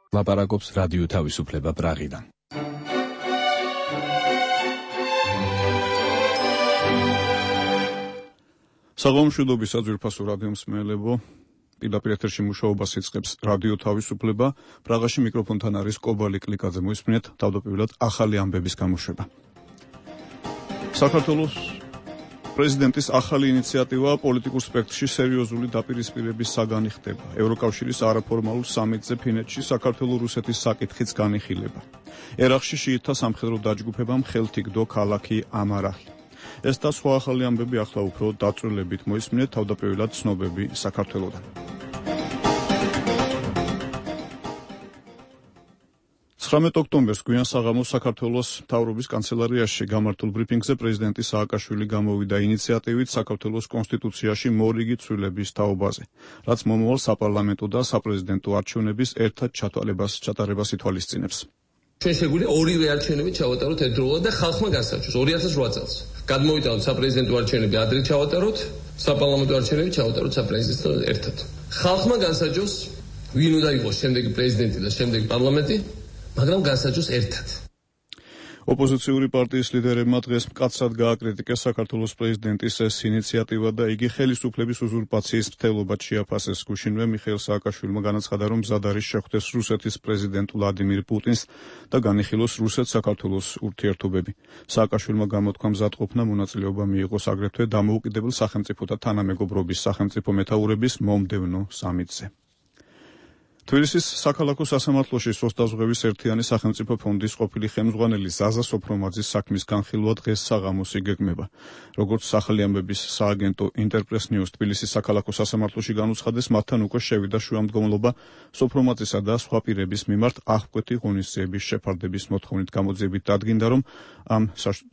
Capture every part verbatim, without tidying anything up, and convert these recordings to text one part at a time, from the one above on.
ლაპარაკობს რადიო თავისუფლება პრაღიდან. საღამომშვიდობის საძვირფასო რადიო მსმენელებო, პირდაპირ ეთერში მუშაობას იწყებს რადიო თავისუფლება. პრაღაში მიკროფონთან არის კობალი კლიკაძე. მოისმინეთ თავდაპირველად ახალი ამბების გამოშვება. საქართველოს პრეზიდენტის ახალი ინიციატივა პოლიტიკურ სპექტრში სერიოზული დაპირისპირების საგანი ხდება. ევროკავშირის არაფორმალურ სამიტზე ფინეთში საქართველო-რუსეთის საკითხიც განიხილება. ერაყში შიიტთა სამხედრო დაჯგუფებამ ხელთ იგდო ქალაქი ამარაჰი. ეს და სხვა ახალი ამბები ახლა უფრო დაწვრილებით მოისმინეთ თავდაპირველად ცნობები საქართველოდან. ცხრამეტ ოქტომბერს გვიან საღამოს საქართველოს მთავრობის კანცელარიაში გამართულ ბრიფინგზე პრეზიდენტი სააკაშვილი გამოვიდა ინიციატივით საქართველოს კონსტიტუციაში მორიგი ცვლილების თაობაზე, რაც მომავალ საპარლამენტო და საპრეზიდენტო არჩევნების ერთად ჩატარებას ჩატარებას ითვალისწინებს. ჩვენ შეგვიძლია ორივე არჩევნები ჩავატაროთ ერთდროულად და ხალხმა გასაჩვენოს ორი ათას რვა წელს. გადმოვიტანოთ საპრეზიდენტო არჩევნები ადრე ჩავატაროთ, საპარლამენტო არჩევნები ჩავატაროთ საპრეზიდენტო ერთად. ხალხმა გასაჩვენოს ვინ უნდა იყოს შემდეგი პრეზიდენტი და შემდეგი პარლამენტი, მაგრამ გასაჩვენოს ერთად. ოპოზიციური პარტიის ლიდერებმა დღეს მკაცრად გააკრიტიკეს საქართველოს პრეზიდენტის ეს ინიციატივა და იგი ხელისუფლების უზურპაციის მცდელობად შეაფასეს. გუშინვე მიხეილ სააკაშვილმა განაცხადა, რომ მზად არის შეხვდეს რუსეთის პრეზიდენტ ვლადიმირ პუტინს და განიხილოს რუსეთ-საქართველოს ურთიერთობები. სააკაშვილმა გამოთქვა მზადყოფნა მონაწილეობა მიიღოს აგრეთვე დამოუკიდებელ სახელმწიფოთა თანამეგობრობის სახელმწიფო მეთაურების მომდევნო სამიტზე. თბილისის საქალაქო სასამართლოში სოსტაზღვევის ერთიანი სახელმწიფო ფონდის ყოფილი ხელმძღვანელი ზაზა სოფრომაძის საქმის განხილვა დღეს საღამოს იგეგმება. როგორც ახალი ამბების სააგენტო ინტერპრეს ნიუს თბილისის საქალაქო სასამართლოში განუცხადეს, მათთან უკვე შევიდა შუამდგომლობა სოფრომაძისა და სხვა პირების მიმართ აღკვეთი ღონისძიების შეფარდების მოთხოვნით. გამოძიებით დადგინდა, რომ ამ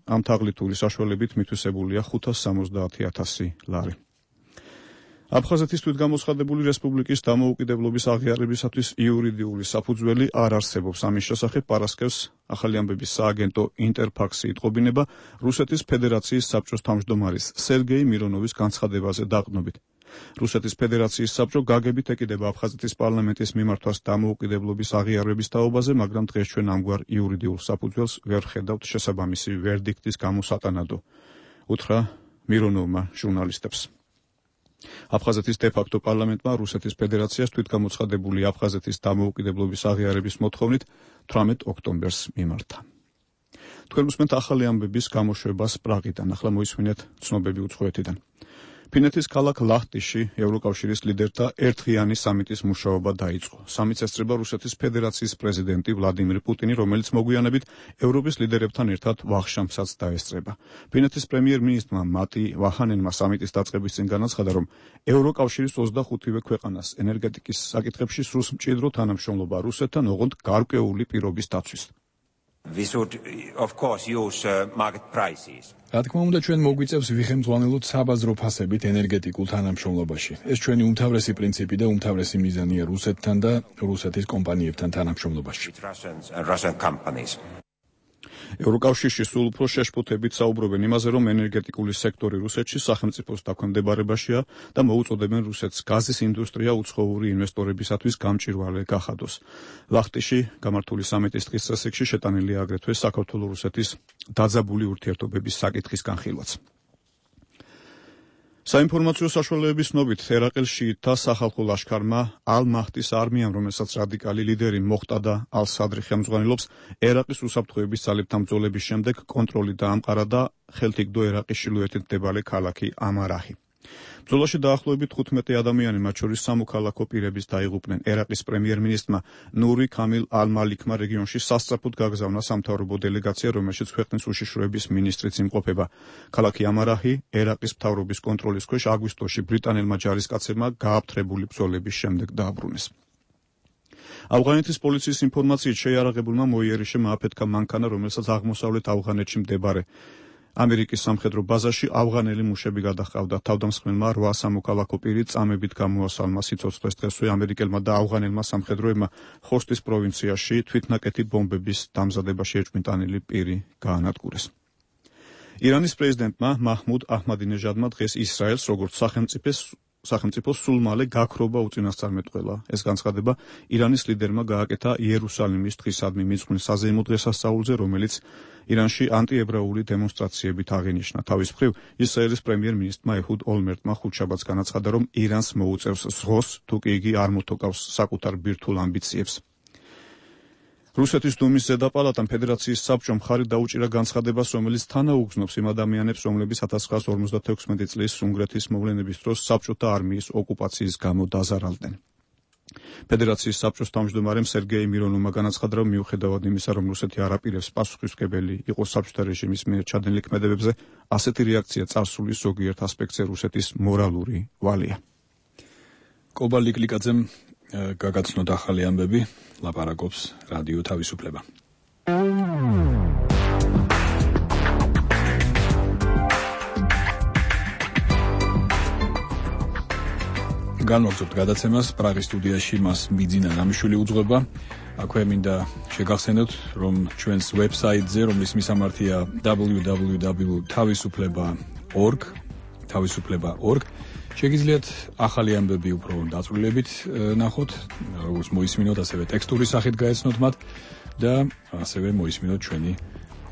ამ თაღლითური საშუალებით მითვისებულია ხუთას სამოცდაათი ათასი ლარი. აფხაზეთის თვითგამოცხადებული რესპუბლიკის დამოუკიდებლობის აღიარებისათვის იურიდიული საფუძველი არ არსებობს. ამის შესახებ პარასკევს ახალი ამბების სააგენტო ინტერფაქსი იტყობინება რუსეთის ფედერაციის საბჭოს თავმჯდომარის სერგეი მირონოვის განცხადებაზე დაყრდნობით. რუსეთის ფედერაციის საბჭო გაგებით ეკიდება აფხაზეთის პარლამენტის მიმართვას დამოუკიდებლობის აღიარების თაობაზე, მაგრამ დღეს ჩვენ ამგვარ იურიდიულ საფუძველს ვერ ხედავთ შესაბამისი ვერდიქტის გამოსატანადო, უთხრა მირონოვმა ჟურნალისტებს. აფხაზეთის დე-ფაქტო პარლამენტმა რუსეთის ფედერაციას თვითგამოცხადებული აფხაზეთის დამოუკიდებლობის აღიარების მოთხოვნით თვრამეტ ოქტომბერს მიმართა. თქვენ უსმენთ ახალი ამბების გამოშვებას პრაღიდან. ახლა მოისმინეთ ცნობები უცხოეთიდან. ფინეთის ქალაქ ლაჰტიში ევროკავშირის ლიდერთა ერთდღიანი სამიტის მუშაობა დაიწყო. სამიტს ესწრება რუსეთის ფედერაციის პრეზიდენტი ვლადიმირ პუტინი, რომელიც მოგვიანებით ევროპის ლიდერებთან ერთად ვახშამსაც დაესწრება. ფინეთის პრემიერ-მინისტრმა მატი ვაჰანენმა სამიტის დაწყების წინ განაცხადა, რომ ევროკავშირის ოცდახუთივე ქვეყანას ენერგეტიკის საკითხებში სურს მჭიდრო თანამშრომლობა რუსეთთან, ოღონდ გარკვეული პირობის დაცვის. We should, of course, use uh, market prices. რა თქმა უნდა, ჩვენ მოგვიწევს ვიხემძღვანელოთ საბაზრო ფასებით ენერგეტიკულ თანამშრომლობაში. ეს ჩვენი უმთავრესი პრინციპი და უმთავრესი მიზანია რუსეთთან და რუსეთის კომპანიებთან თანამშრომლობაში. ევროკავშირში სულ უფრო შეშფოთებით საუბრობენ იმაზე, რომ ენერგეტიკული სექტორი რუსეთში სახელმწიფოს დაქვემდებარებაშია და მოუწოდებენ რუსეთს გაზის ინდუსტრია უცხოური ინვესტორებისათვის გამჭვირვალე გახადოს. ლაჰტიში გამართული სამიტის დღის წესრიგში შეტანილია აგრეთვე საქართველო-რუსეთის დაძაბული ურთიერთობების საკითხის განხილვაც. საინფორმაციო საშუალებების ცნობით, ერაყის შიიტთა სახალხო ლაშქარმა ალ-მაჰდის არმიამ, რომელსაც რადიკალი ლიდერი მოხტადა ალ-სადრი ხელმძღვანელობს, ერაყის უსაფრთხოების ძალებთან ბრძოლების შემდეგ კონტროლი დაამყარა და ხელთ იგდო ერაყის ჩრდილოეთით მდებარე ქალაქი ამარაჰი. ბრძოლაში დაახლოებით თხუთმეტი ადამიანი, მათ შორის სამოქალაქო პირებიც დაიღუპნენ. ერაყის პრემიერ-მინისტრმა ნური ქამილ ალ-მალიქმა რეგიონში სასწრაფოდ გაგზავნა სამთავრობო დელეგაცია, რომელშიც ქვეყნის უშიშროების მინისტრიც იმყოფება. ქალაქი ამარაჰი ერაყის მთავრობის კონტროლის ქვეშ აგვისტოში ბრიტანელმა ჯარისკაცებმა გააფთრებული ბრძოლების შემდეგ დააბრუნეს. ავღანეთის პოლიციის ინფორმაციით შეიარაღებულმა მოიერიშემ ააფეთქა მანქანა, რომელსაც აღმოსავლეთ ავღანეთში მდებარე ამერიკის სამხედრო ბაზაში ავღანელი მუშები გადაჰყავდა. თავდამსხმელმა რვა სამოქალაქო პირი წამებით გამოასალმა სიცოცხლეს დღესვე ამერიკელმა და ავღანელმა სამხედროებმა ხოსტის პროვინციაში თვითნაკეთი ბომბების დამზადებაში ეჭვმიტანილი პირი გაანადგურეს. ირანის პრეზიდენტმა მაჰმუდ აჰმადინეჟადმა დღეს ისრაელს როგორც სახელმწიფოს სახელმწიფოს სულ მალე გაქრობა უწინასწარმეტყველა. ეს განცხადება ირანის ლიდერმა გააკეთა იერუსალიმის დღისადმი მიძღვნის საზეიმო დღესასწაულზე, რომელიც ირანში ანტიებრაული დემონსტრაციებით აღინიშნა. თავის მხრივ, ისრაელის პრემიერ-მინისტრმა ეჰუდ ოლმერტმა ხუთშაბათს განაცხადა, რომ ირანს მოუწევს ზღოს, თუ კი იგი არ მოთოკავს საკუთარ ბირთვულ ამბიციებს. რუსეთის დუმის ზედაპალატამ ფედერაციის საბჭომ მხარი დაუჭირა განცხადებას, რომელიც თანაუგზნობს იმ ადამიანებს, რომლებიც ათას ცხრაასი ორმოცდათექვსმეტი წლის უნგრეთის მოვლენების დროს საბჭოთა არმიის ოკუპაციის გამო დაზარალდნენ. ფედერაციის საბჭოს თავმჯდომარემ სერგეი მირონოვმა განაცხადა, რომ მიუხედავად იმისა, რომ რუსეთი არ აპირებს პასუხისმგებელი იყოს საბჭოთა რეჟიმის მიერ ჩადენილ ქმედებებზე, ასეთი რეაქცია წარსულის ზოგიერთ ასპექტზე რუსეთის მორალური ვალია. კობა ლიკლიკაძემ გაგაცნოთ ახალი ამბები, ლაპარაკობს რადიო თავისუფლება. განვაგრძობთ გადაცემას, პრაღის სტუდიაში მას ბიძინა რამიშვილი უძღვება. აქვე მინდა შეგახსენოთ, რომ ჩვენს ვებსაიტზე, რომლის მისამართია დაბლიუ დაბლიუ დაბლიუ ტაბ თავისუფლება ტაბ ორგ, თავისუფლება ტაბ ორგ, შეგიძლიათ ახალი ამბები უფრო დაწვრილებით ნახოთ, როგორც მოისმინოთ, ასევე ტექსტური სახით გაეცნოთ მათ და ასევე მოისმინოთ ჩვენი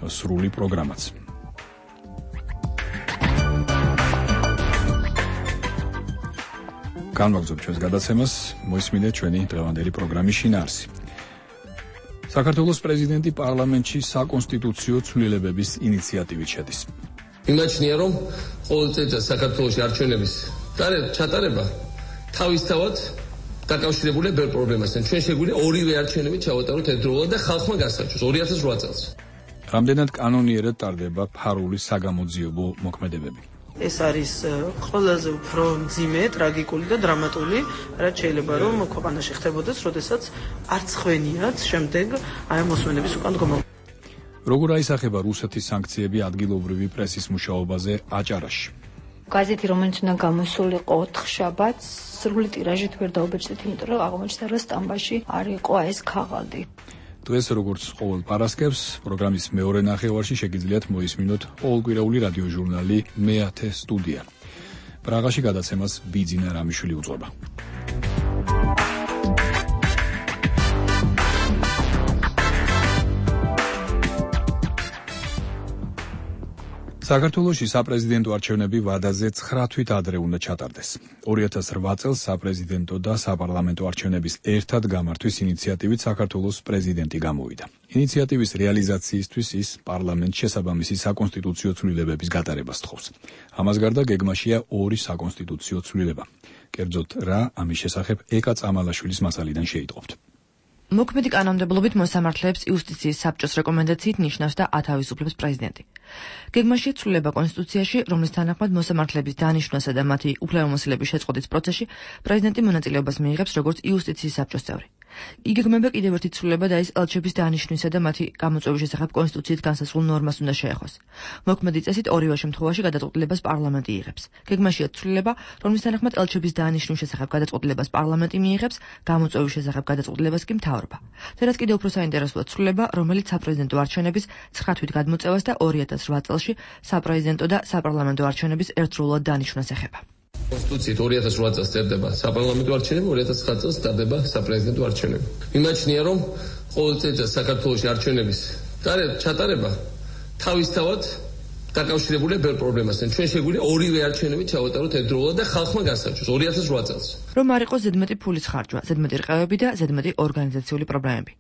სრული პროგრამაც. განვაგრძობთ ჩვენს გადაცემას, მოისმინეთ ჩვენი დღევანდელი პროგრამის შინაარსი. საქართველოს პრეზიდენტი პარლამენტში საკონსტიტუციო ცვლილებების ინიციატივით შედის. იმაჩნია, რომ ყოველ წელიწადს საქართველოში არჩევნების ჩატარება თავისთავად დაკავშირებულია ბევრ პრობლემასთან. ჩვენ შეგვიძლია ორივე არჩევნები ჩავატაროთ ერთდროულად და ხალხმა გასაჩვენოს ორი ათას ოთხ წელს. რამდენად კანონიერად ტარდება ფარული საგამოძიებო მოქმედებები? ეს არის ყველაზე უფრო მძიმე, ტრაგიკული და დრამატული, რაც შეიძლება რომ ქვეყანაში ხდებოდეს, როდესაც არც ხვენიათ შემდეგ აი მოსმენების უკან დგომა. როგორ აისახება რუსეთის სანქციები ადგილობრივი პრესის მუშაობაზე აჭარაში? გაზეთი, რომელიც უნდა გამოსულიყო ოთხშაბათს, სრული ტირაჟით ვერ დაუბეჭდით, იმიტომ რომ აღმოჩნდა, რომ სტამბაში არ იყო ეს ქაღალდი. დღეს როგორც ყოველ პარასკევს, პროგრამის მეორე ნახევარში შეგიძლიათ მოისმინოთ ყოველკვირეული რადიოჟურნალი მეათე სტუდია. პრაღაში გადაცემას ბიძინა რამიშვილი უძღვება. საქართველოში საპრეზიდენტო არჩევნები ვადაზე ცხრა თვით ადრე უნდა ჩატარდეს. ორი ათას რვა წელს საპრეზიდენტო და საპარლამენტო არჩევნების ერთად გამართვის ინიციატივით საქართველოს პრეზიდენტი გამოვიდა. ინიციატივის რეალიზაციისთვის ის პარლამენტს შესაბამისი საკონსტიტუციო ცვლილებების გატარებას თხოვს. ამას გარდა გეგმაშია ორი საკონსტიტუციო ცვლილება. კერძოდ რა ამის შესახებ ეკა წამალაშვილის მასალიდან შეიტყობთ. მოქმედი კანონმდებლობით მოსამართლეებს იუსტიციის საბჭოს რეკომენდაციით ნიშნავს და ათავისუფლებს პრეზიდენტი. გეგმაშია ცვლილება კონსტიტუციაში, რომლის თანახმად მოსამართლეების დანიშვნასა და მათი უფლებამოსილების შეწყვეტის პროცესში პრეზიდენტი მონაწილეობას მიიღებს როგორც იუსტიციის საბჭოს წევრი. იგეგმება კიდევ ერთი ცვლილება და ის ელჩების დანიშვნისა და მათი გამოწვევის შესახებ კონსტიტუციით განსაზღვრულ ნორმას უნდა შეეხოს. მოქმედი წესით ორივე შემთხვევაში გადაწყვეტილებას პარლამენტი იღებს. გეგმაშია ცვლილება, რომლის თანახმად ელჩების დანიშვნის შესახებ გადაწყვეტილებას პარლამენტი მიიღებს, გამოწვევის შესახებ გადაწყვეტილებას კი მთავრობა. თერაც კიდევ უფრო საინტერესოა ცვლილება, რომელიც საპრეზიდენტო არჩევნების ცხრა თვით გადმოწევას და ორი ათას რვა წელში საპრეზიდენტო და საპარლამენტო არჩევნების ერთდროულად დანიშვნას ეხება. კონსტიტუციით ორი ათას რვა წელს წერდება საპარლამენტო არჩევნები, ორი ათას ცხრა წელს ტარდება საპრეზიდენტო არჩევნები. იმაჩნია, რომ ყოველ წელიწადს საქართველოში არჩევნების ჩატარება თავისთავად დაკავშირებულია ბევრ პრობლემასთან. ჩვენ შეგვიძლია ორივე არჩევნები ჩავატაროთ ერთდროულად და ხალხმა გასაჩვენოს ორი ათას რვა წელს. რომ არ იყოს ზედმეტი ფულის ხარჯვა, ზედმეტი რყევები და ზედმეტი ორგანიზაციული პრობლემები.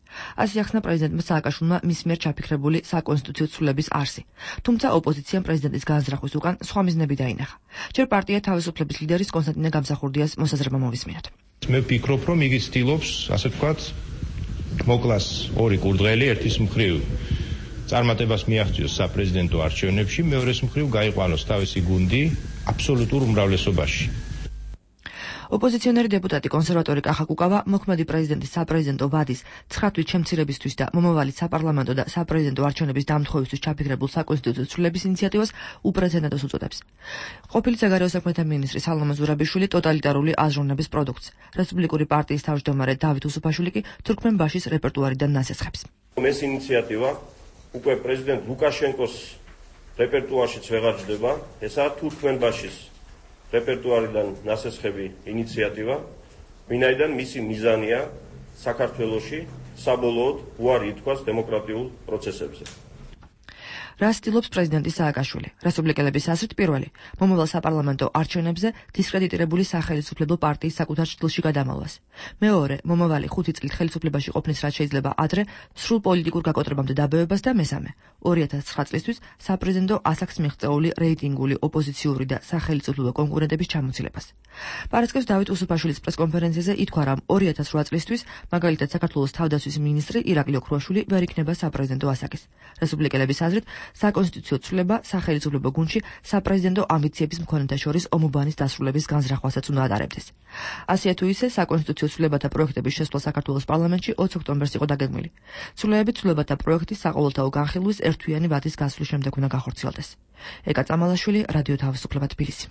ასე ახსნა პრეზიდენტმა სააკაშვილმა მის მიერ ჩაფიქრებული საკონსტიტუციო ცვლილების არსი. თუმცა ოპოზიციამ პრეზიდენტის განზრახვის უკან სხვა მიზნები დაინახა. ჯერ პარტია თავისუფლების ლიდერის კონსტანტინე გამსახურდიას მოსაზრება მოვისმინოთ. მე ვფიქრობ, რომ იგი ცდილობს, ასე ვთქვათ, მოკლას ორი კურდღელი, ერთის მხრივ წარმატებას მიაღწიოს საპრეზიდენტო არჩევნებში, მეორეს მხრივ გაიყვანოს თავისი გუნდი აბსოლუტურ უმრავლესობაში. ოპოზიციონერი დეპუტატი კონსერვატორი კახა კუკავა მოქმედი პრეზიდენტის საპრეზიდენტო ვადის ცხრა თვით შემცირებისთვის და მომავალი საპარლამენტო და საპრეზიდენტო არჩევნების დამთხოვისთვის ჩაფიქრებულ საკონსტიტუციო ცვლილების ინიციატივას უპრეცედენტოს უწოდებს. ყოფილი საგარეო საქმეთა მინისტრი სალომონ ზურაბიშვილი ტოტალიტარული აზროვნების პროდუქტს. რესპუბლიკური პარტიის თავმჯდომარე დავით უსუფაშვილი კი თურქმენბაშის რეპერტუარიდან ნასესხებს. ეს ინიციატივა უკვე პრეზიდენტ ლუკაშენკოს რეპერტუარშიც ვეღარ ჯდება, ესაა თურქმენბაშის რეპერტუარიდან ნასესხები ინიციატივა, ვინაიდან მისი მიზანია საქართველოში საბოლოოდ უარი ითქვას დემოკრატიულ პროცესებზე. რას ცდილობს პრეზიდენტი სააკაშვილი? რესპუბლიკელების აზრით პირველი, მომავალ საპარლამენტო არჩევნებზე დისკრედიტირებული სახელმწიფო პარტიის საკუთარ ჭრილში გადამავლას. მეორე, მომავალი ხუთი წლით ხელისუფლებაში ყოფნის რაც შეიძლება ადრე სრულ პოლიტიკურ გაკოტრებამდე დაბევებას და მესამე, ორი ათას ცხრა წლისთვის საპრეზიდენტო ასაკს მიღწეული რეიტინგული ოპოზიციური და სახელმწიფო კონკურენტების ჩამოცილებას. პარასკევს დავით უსუფაშვილის პრესკონფერენციაზე ითქვა, რომ ორი ათას რვა წლისთვის მაგალითად საქართველოს თავდაცვის მინისტრი ირაკლი ოქრუაშვილი ვერ იქნება საპრეზიდენტო ასაკის. რესპუბლიკელების აზრით საკონსტიტუციო ცვლილება სახელმწიფო გუნდში საპრეზიდენტო ამბიციების მქონეთა შორის ომობანის დასრულების განზრახვასაც უნდა ატარებდეს. ასე თუ ისე საკონსტიტუციო ცვლილებათა პროექტების შესვლა საქართველოს პარლამენტში ოცი ოქტომბერს იყო დაგეგმილი. ცვლილებებით ცვლილებათა პროექტის საყოველთაო განხილვის ერთთვიანი ვადის გასვლის შემდეგ უნდა გახორციელდეს. ეკა წამალაშვილი, რადიო თავისუფლება თბილისი.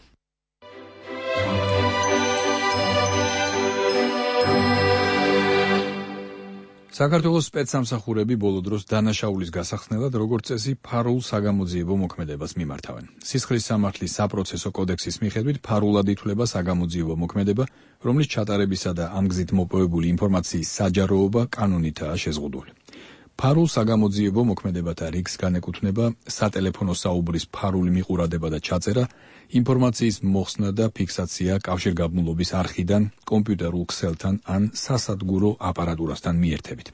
საქართველოს სპეცსამსახურები ბოლო დროს დანაშაულის გასახსნელად როგორც წესი ფარულ საგამოძიებო მოქმედებას მიმართავენ. სისხლის სამართლის საპროცესო კოდექსის მიხედვით ფარულად ითვლება საგამოძიებო მოქმედება, რომლის ჩატარებისა და ამ გზით მოპოვებული ინფორმაციის საჯაროობა კანონითაა შეზღუდული. ფარულ საგამოძიებო მოქმედებათა რიგს განეკუთვნება სატელეფონო საუბრის ფარული მიყურადება და ჩაწერა, ინფორმაციის მოხსნა და ფიქსაცია კავშირგაბმულობის არხიდან, კომპიუტერულ ქსელთან ან სასადგურო აპარატურასთან მიერთებით.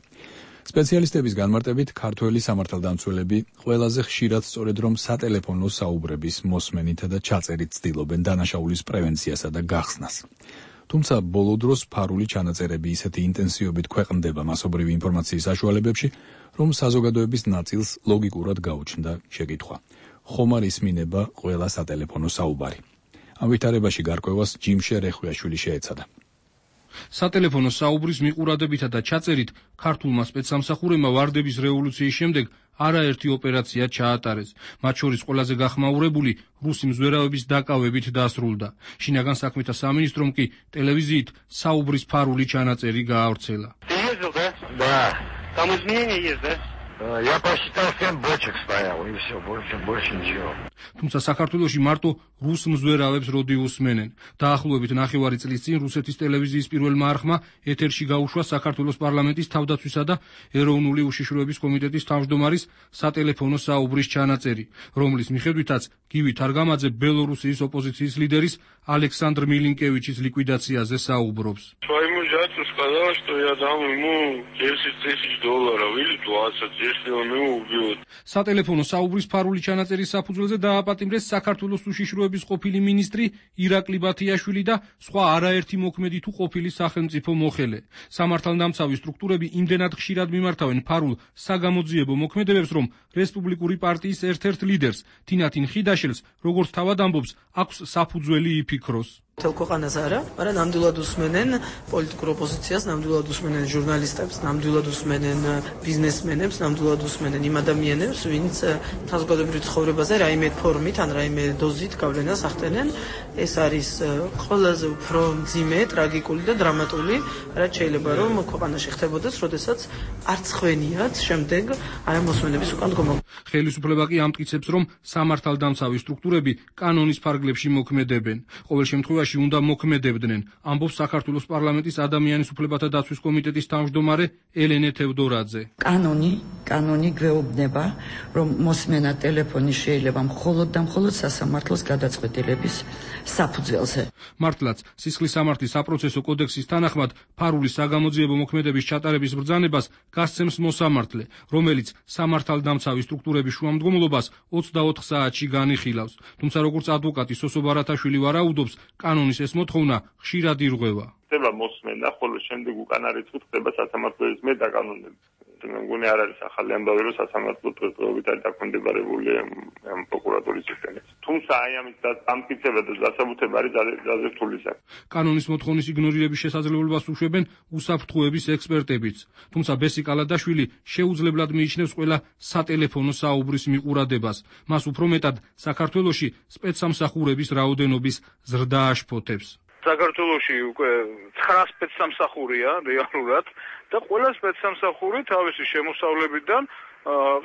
სპეციალისტების განმარტებით, ქართველი სამართალდამცველები ყველაზე ხშირად სწორედ რომ სატელეფონო საუბრების მოსმენითა და ჩაწერით ცდილობენ დანაშაულის პრევენციასა და გახსნას. თუმცა ბოლო დროს ფარული ჩანაწერები ისეთი ინტენსივობით ქვეყნდება მასობრივი ინფორმაციის საშუალებებში, რომ საზოგადოების ნაწილს ლოგიკურად გაუჩნდა შეკითხვა: ხომ არ ისმინება ყველა სატელეფონო საუბარი? ამ ვითარებაში გარკვევას ჯიმშე რეხვიაშვილი შეეცადა. სატელეფონო საუბრის მიყურადებითა და ჩაწერით ქართულმა სპეცსამსახურებმა ვარდების რევოლუციის შემდეგ არაერთი ოპერაცია ჩაატარეს. მათ შორის ყველაზე გახმაურებული რუსი მზვერავების დაკავებით დასრულდა. შინაგან საქმეთა სამინისტრომ კი ტელევიზიით საუბრის ფარული ჩანაწერი გაავრცელა. Я посчитал семь бочек стоял, и все, больше, больше ничего. თუმცა საქართველოში მარტო რუს მზვერავებს როდი უსმენენ. დაახლოებით ნახევარი წლის წინ რუსეთის ტელევიზიის პირველმა არხმა ეთერში გაუშვა საქართველოს პარლამენტის თავდაცვისა და ეროვნული უშიშროების კომიტეტის თავმჯდომარის სატელეფონო საუბრის ჩანაწერი, რომლის მიხედვითაც გივი თარგამაძე ბელორუსიის ოპოზიციის ლიდერის ალექსანდრ მილინკევიჩის ლიკვიდაციაზე საუბრობს. Своему зятю сказала, что я дам ему десять тысяч долларов или двадцать, если он его убьет. სატელეფონო საუბრის ფარული ჩანაწერის საფუძველზე დააპატიმრეს საქართველოს უშიშროების ყოფილი მინისტრი ირაკლი ბათიაშვილი და სხვა არაერთი მოქმედი თუ ყოფილი სახელმწიფო მოხელე. სამართალდამცავი სტრუქტურები იმდენად ხშირად მიმართავენ ფარულ საგამოძიებო მოქმედებებს, რომ რესპუბლიკური პარტიის ერთ-ერთ ლიდერს თინათინ ხიდაშელს, როგორც თავად ამბობს, აქვს საფუძველი იფიქროს. მთელ ქვეყანას არა, მაგრამ ნამდვილად უსმენენ პოლიტიკურ ოპოზიციას, ნამდვილად უსმენენ ჟურნალისტებს, ნამდვილად usmenen ბიზნესმენებს, ნამდვილად usmenen იმ ადამიანებს, ვინც საზოგადოებრივ ცხოვრებაზე რაიმე ფორმით ან რაიმე დოზით გავლენას ახდენენ. ეს არის ყველაზე უფრო მძიმე, ტრაგიკული და დრამატული, რაც შეიძლება რომ ქვეყანაში ხდებოდეს, როდესაც არც ხვენიათ შემდეგ აი ამ მოსმენების უკან დგომა. ხელისუფლება კი ამტკიცებს, რომ სამართალდამცავი სტრუქტურები კანონის ფარგლებში მოქმედებენ. ყოველ შემთხვევაში უნდა მოქმედებდნენ, ამბობს საქართველოს პარლამენტის ადამიანის უფლებათა დაცვის კომიტეტის თავმჯდომარე ელენე თევდორაძე. კანონი, კანონი გვეუბნება, რომ მოსმენა ტელეფონი შეიძლება მხოლოდ და მხოლოდ სასამართლოს გადაწყვეტილების საფუძველზე. მართლაც, სისხლის სამართლის საპროცესო კოდექსის თანახმად, ფარული საგამოძიებო მოქმედების ჩატარების ბრძანებას გასცემს მოსამართლე, რომელიც სამართალდამცავი სტრუქტურების შუამდგომლობას ოცდაოთხ საათში განიხილავს. თუმცა როგორც ადვოკატი სოსო ბარათაშვილი ვარაუდობს, კანონის ეს მოთხოვნა ხშირად ირღვევა. ხდება მოსმენა, ხოლო შემდეგ უკან არის თუ ხდება სასამართლოების მე დაკანონები. მე მგონი არ არის ახალი ამბავი, რომ სასამართლო პროკურორობით არის დაქვემდებარებული ამ პროკურატურის სისტემით. თუმცა აი ამის დამტკიცება და დასაბუთება არის ძალიან რთული საქმე. კანონის მოთხოვნის იგნორირების შესაძლებლობას უშვებენ უსაფრთხოების ექსპერტებიც. თუმცა ბესი კალადაშვილი შეუძლებლად მიიჩნევს ყველა სატელეფონო საუბრის მიყურადებას. მას უფრო მეტად საქართველოში სპეცსამსახურების რაოდენობის ზრდა აშფოთებს. საქართველოში უკვე ცხრა სპეცსამსახურია რეალურად და ყველა სპეცსამსახური თავისი შემოსავლებიდან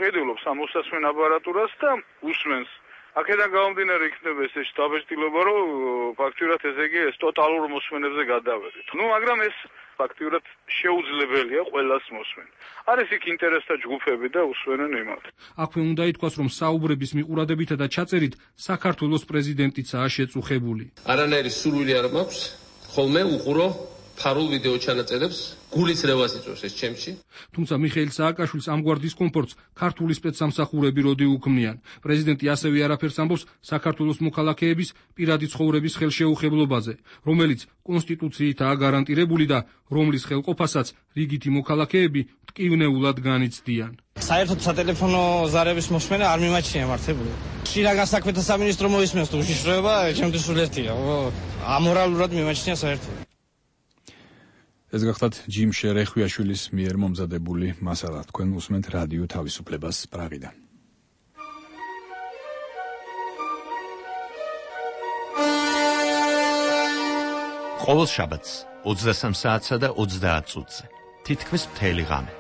ყიდულობს ამ მოსასმენ აპარატურას და უსმენს აქედან გამომდინარე იქნება ეს დაბეჭდილება, რომ ფაქტიურად ესე იგი ეს ტოტალურ მოსმენებზე გადავედით. ნუ მაგრამ ეს ფაქტიურად შეუძლებელია ყველას მოსმენ. არის იქ ინტერესთა ჯგუფები და უსვენენ იმათ. აქვე უნდა ითქვას, რომ საუბრების მიყურადებითა და ჩაწერით საქართველოს პრეზიდენტიცაა შეწუხებული. არანაირი სურვილი არ მაქვს, ხოლმე უყურო ფარულ ვიდეო ჩანაწერებს, გულის რევას იწვევს ეს ჩემში. თუმცა მიხეილ სააკაშვილს ამგვარ დისკომფორტს ქართული სპეცსამსახურები როდი უქმნიან. პრეზიდენტი ასევე არაფერს ამბობს საქართველოს მოქალაქეების პირადი ცხოვრების ხელშეუხებლობაზე, რომელიც კონსტიტუციითაა გარანტირებული და რომლის ხელყოფასაც რიგითი მოქალაქეები მტკივნეულად განიცდიან. საერთოდ სატელეფონო ზარების მოსმენა არ მიმაჩნია მართებული. შინაგან საქმეთა სამინისტრო მოისმენს თუ უშიშროება, ჩემთვის სულ ერთია. ამორალურად მიმაჩნია საერთოდ. ეს გახლავთ ჯიმ შერეხვიაშვილის მიერ მომზადებული მასალა. თქვენ უსმენთ რადიო თავისუფლებას პრაღიდან. ყოველ შაბათს ოცდასამ საათსა და ოცდაათ წუთზე თითქმის მთელი ღამე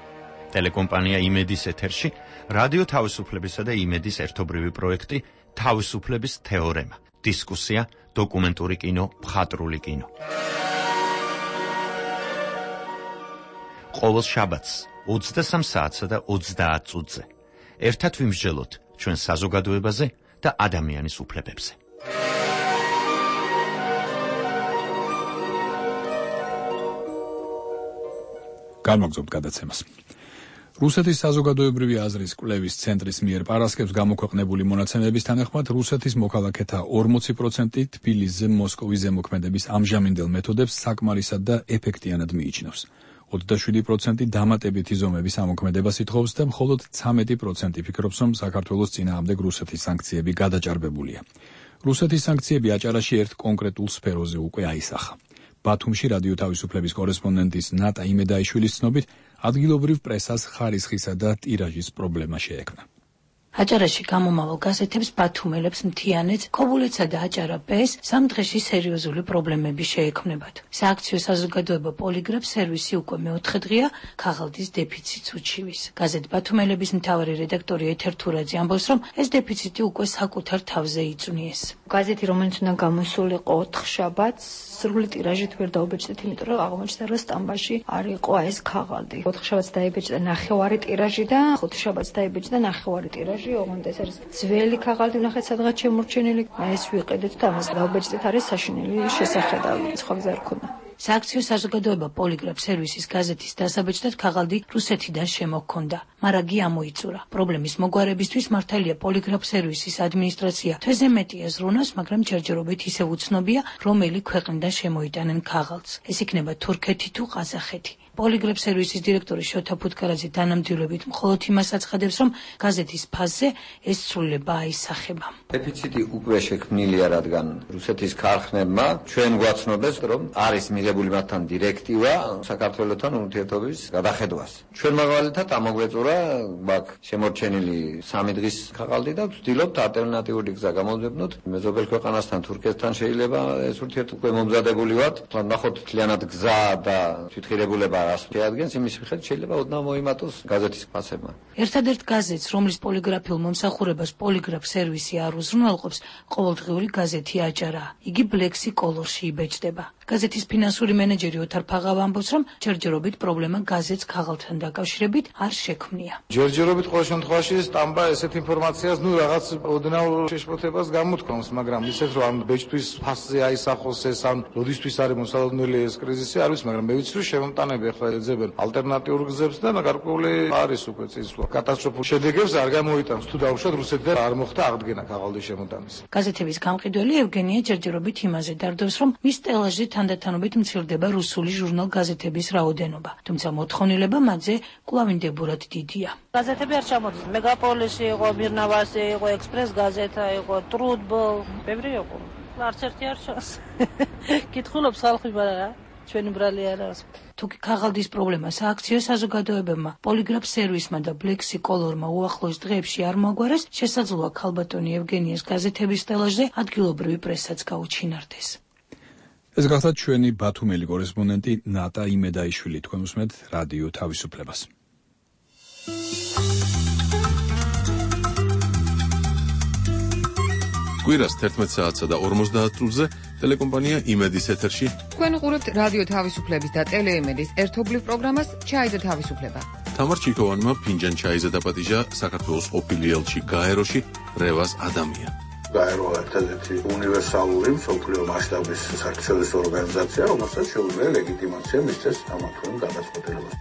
ტელეკომპანია იმედის ეთერში რადიო თავისუფლებისა და იმედის ერთობრივი პროექტი თავისუფლების თეორემა, დისკუსია, დოკუმენტური კინო, მხატვრული კინო. ყოველ შაბათს ოცდასამ საათსა და ოცდაათ წუთზე ერთად ვიმსჯელოთ ჩვენ საზოგადოებაზე და ადამიანის უფლებებზე. გამოგზავნოთ გადაცემას. რუსეთის საზოგადოებრივი აზრის კვლევის ცენტრის მიერ პარასკევს გამოქვეყნებული მონაცემების თანახმად რუსეთის მოქალაქეთა ორმოცი პროცენტი თბილისზე მოსკოვის ზემოქმედების ამჟამინდელ მეთოდებს საკმარისად და ეფექტიანად მიიჩნევს. ოცდაშვიდი პროცენტი დამატებითი ზომების ამოქმედებას ითხოვს და მხოლოდ ცამეტი პროცენტი ფიქრობს, რომ საქართველოს წინააღმდეგ რუსეთის სანქციები გადაჭარბებულია. რუსეთის სანქციები აჭარაში ერთ კონკრეტულ სფეროზე უკვე აისახა. ბათუმში რადიო თავისუფლების კორესპონდენტის ნატა იმედაიშვილის ცნობით, ადგილობრივ პრესას ხარისხისა და ტირაჟის პრობლემა შეექმნა. აჭარაში გამომავალ გაზეთებს ბათუმელებს მთიანეთს, ქობულეთსა და აჭარა ბეს სამ დღეში სერიოზული პრობლემები შეექმნებათ. სააქციო საზოგადოება პოლიგრაფ სერვისი უკვე მეოთხე დღეა ქაღალდის დეფიციტს უჩივის. გაზეთ ბათუმელების მთავარი რედაქტორი ეთერ თურაძე ამბობს, რომ ეს დეფიციტი უკვე საკუთარ თავზე იწვნიეს. გაზეთი, რომელიც უნდა გამოსულიყო ოთხ შაბათს, სრული ტირაჟით ვერ დაუბეჭდეთ, იმიტომ რომ აღმოჩნდა, რომ სტამბაში არ იყო ეს ქაღალდი. ოთხ შაბათს დაიბეჭდა ნახევარი ტირაჟი და ხუთი შაბათს დაიბეჭდა ნახევარი ტირაჟი. ოღონდ ეს არის ძველი ქაღალდი, ნახეთ სადღაც შემორჩენილი. ეს ვიყიდეთ და ამას დავბეჭდით, არის საშინელი შესახედავი. სხვა გზა არ ქონდა. სააქციო საზოგადოება პოლიგრაფ სერვისის გაზეთის დასაბეჭდად ქაღალდი რუსეთიდან შემოჰქონდა, მაგრამ გი ამოიწურა. პრობლემის მოგვარებისთვის მართალია პოლიგრაფ სერვისის ადმინისტრაცია თვეზე მეტია ზრუნავს, მაგრამ ჯერჯერობით ისევ უცნობია, რომელი ქვეყნიდან შემოიტანენ ქაღალდს. ეს იქნება თურქეთი თუ ყაზახეთი. პოლიგრაფ სერვისის დირექტორი შოთა ფუტკარაძე თანამდებობით მხოლოდ იმას აცხადებს, რომ გაზეთის ფაზზე ეს ცვლილება აისახება. დეფიციტი უკვე შექმნილია, რადგან რუსეთის ქარხნებმა ჩვენ გვაცნობეს, რომ არის მიღებული მათთან დირექტივა საქართველოსთან ურთიერთობის გადახედვას. ჩვენ მაგალითად ამოგვეწურა ბაქ შემორჩენილი სამი დღის ქაღალდი და ვცდილობთ ალტერნატიული გზა გამოვძებნოთ. მეზობელ ქვეყანასთან, თურქეთთან შეიძლება ეს ურთიერთობა მომზადებული ვართ. ნახოთ მთლიანად გზა და თვითღირებულება რას შეადგენს, იმის მიხედვით შეიძლება ოდნავ მოიმატოს გაზეთის ფასებმა. ერთადერთ გაზეთს, რომლის პოლიგრაფიულ მომსახურებას პოლიგრაფ სერვისი არ უზრუნველყოფს, ყოველდღიური გაზეთი აჭარა. იგი ბლექსი კოლორში იბეჭდება. გაზეთის ფინანსური მენეჯერი ოთარ ფაღავა ამბობს, რომ ჯერჯერობით პრობლემა გაზეთს ქაღალდთან დაკავშირებით არ შექმნია. ჯერჯერობით ყოველ შემთხვევაში სტამბა ესეთ ინფორმაციას, ნუ რაღაც ოდნავ შეშფოთებას გამოთქვამს, მაგრამ ისეთ რომ ამ ბეჭდვის ფასზე აისახოს ეს, ან როდისთვის არის მოსალოდნელი ეს კრიზისი, არ ვიცი, მაგრამ მე ვიცი, რომ შემომტანები ახლა ეძებენ ალტერნატიულ გზებს და გარკვეული არის უკვე წინსვლა. კატასტროფულ შედეგებს არ გამოიტანს თუ დაუშვათ რუსეთიდან არ მოხდა აღდგენა ქაღალდის შემოტანის. გაზეთების გამყიდველი ევგენია ჯერჯერობით იმაზე დარდობს, რომ მის სტელაჟზე თანდათანობით მცირდება რუსული ჟურნალ-გაზეთების რაოდენობა, თუმცა მოთხოვნილება მათზე კვლავინდებურად დიდია. გაზეთები არ ჩამოდის. მეგაპოლისი იყო, მირნავასი იყო, ექსპრეს გაზეთა იყო, ტრუდბოლ, ბევრი იყო. არც ერთი არ ჩანს. კითხულობს ხალხი, მაგრამ ჩვენი ბრალი არაა. თუკი ქაღალდის პრობლემა სააქციო საზოგადოებებმა, პოლიგრაფ სერვისმა და ბლექსი კოლორმა უახლოეს დღეებში არ მოგვარეს, შესაძლოა ქალბატონი ევგენიას გაზეთების სტელაჟზე ადგილობრივი პრესაც გაუჩინარდეს. ეს გახლავთ ჩვენი ბათუმელი კორესპონდენტი ნატა იმედაიშვილი. თქვენ უსმენთ რადიო თავისუფლებას. კვირას თერთმეტ საათსა და ორმოცდაათ წუთზე ტელეკომპანია იმედის ეთერში. თქვენ უყურებთ რადიო თავისუფლების და ტელეიმედის ერთობლივ პროგრამას ჩაიზე თავისუფლება. თამარ ჩიქოვანმა ფინჯან ჩაიზე დაპატიჟა საქართველოს ყოფილი ელჩი გაეროში რევაზ ადამია. გაერო ერთადერთი უნივერსალური მსოფლიო მასშტაბის საერთაშორისო ორგანიზაცია, რომელსაც შეუძლია ლეგიტიმაცია მისცეს ამათვენ გადაწყვეტილებას.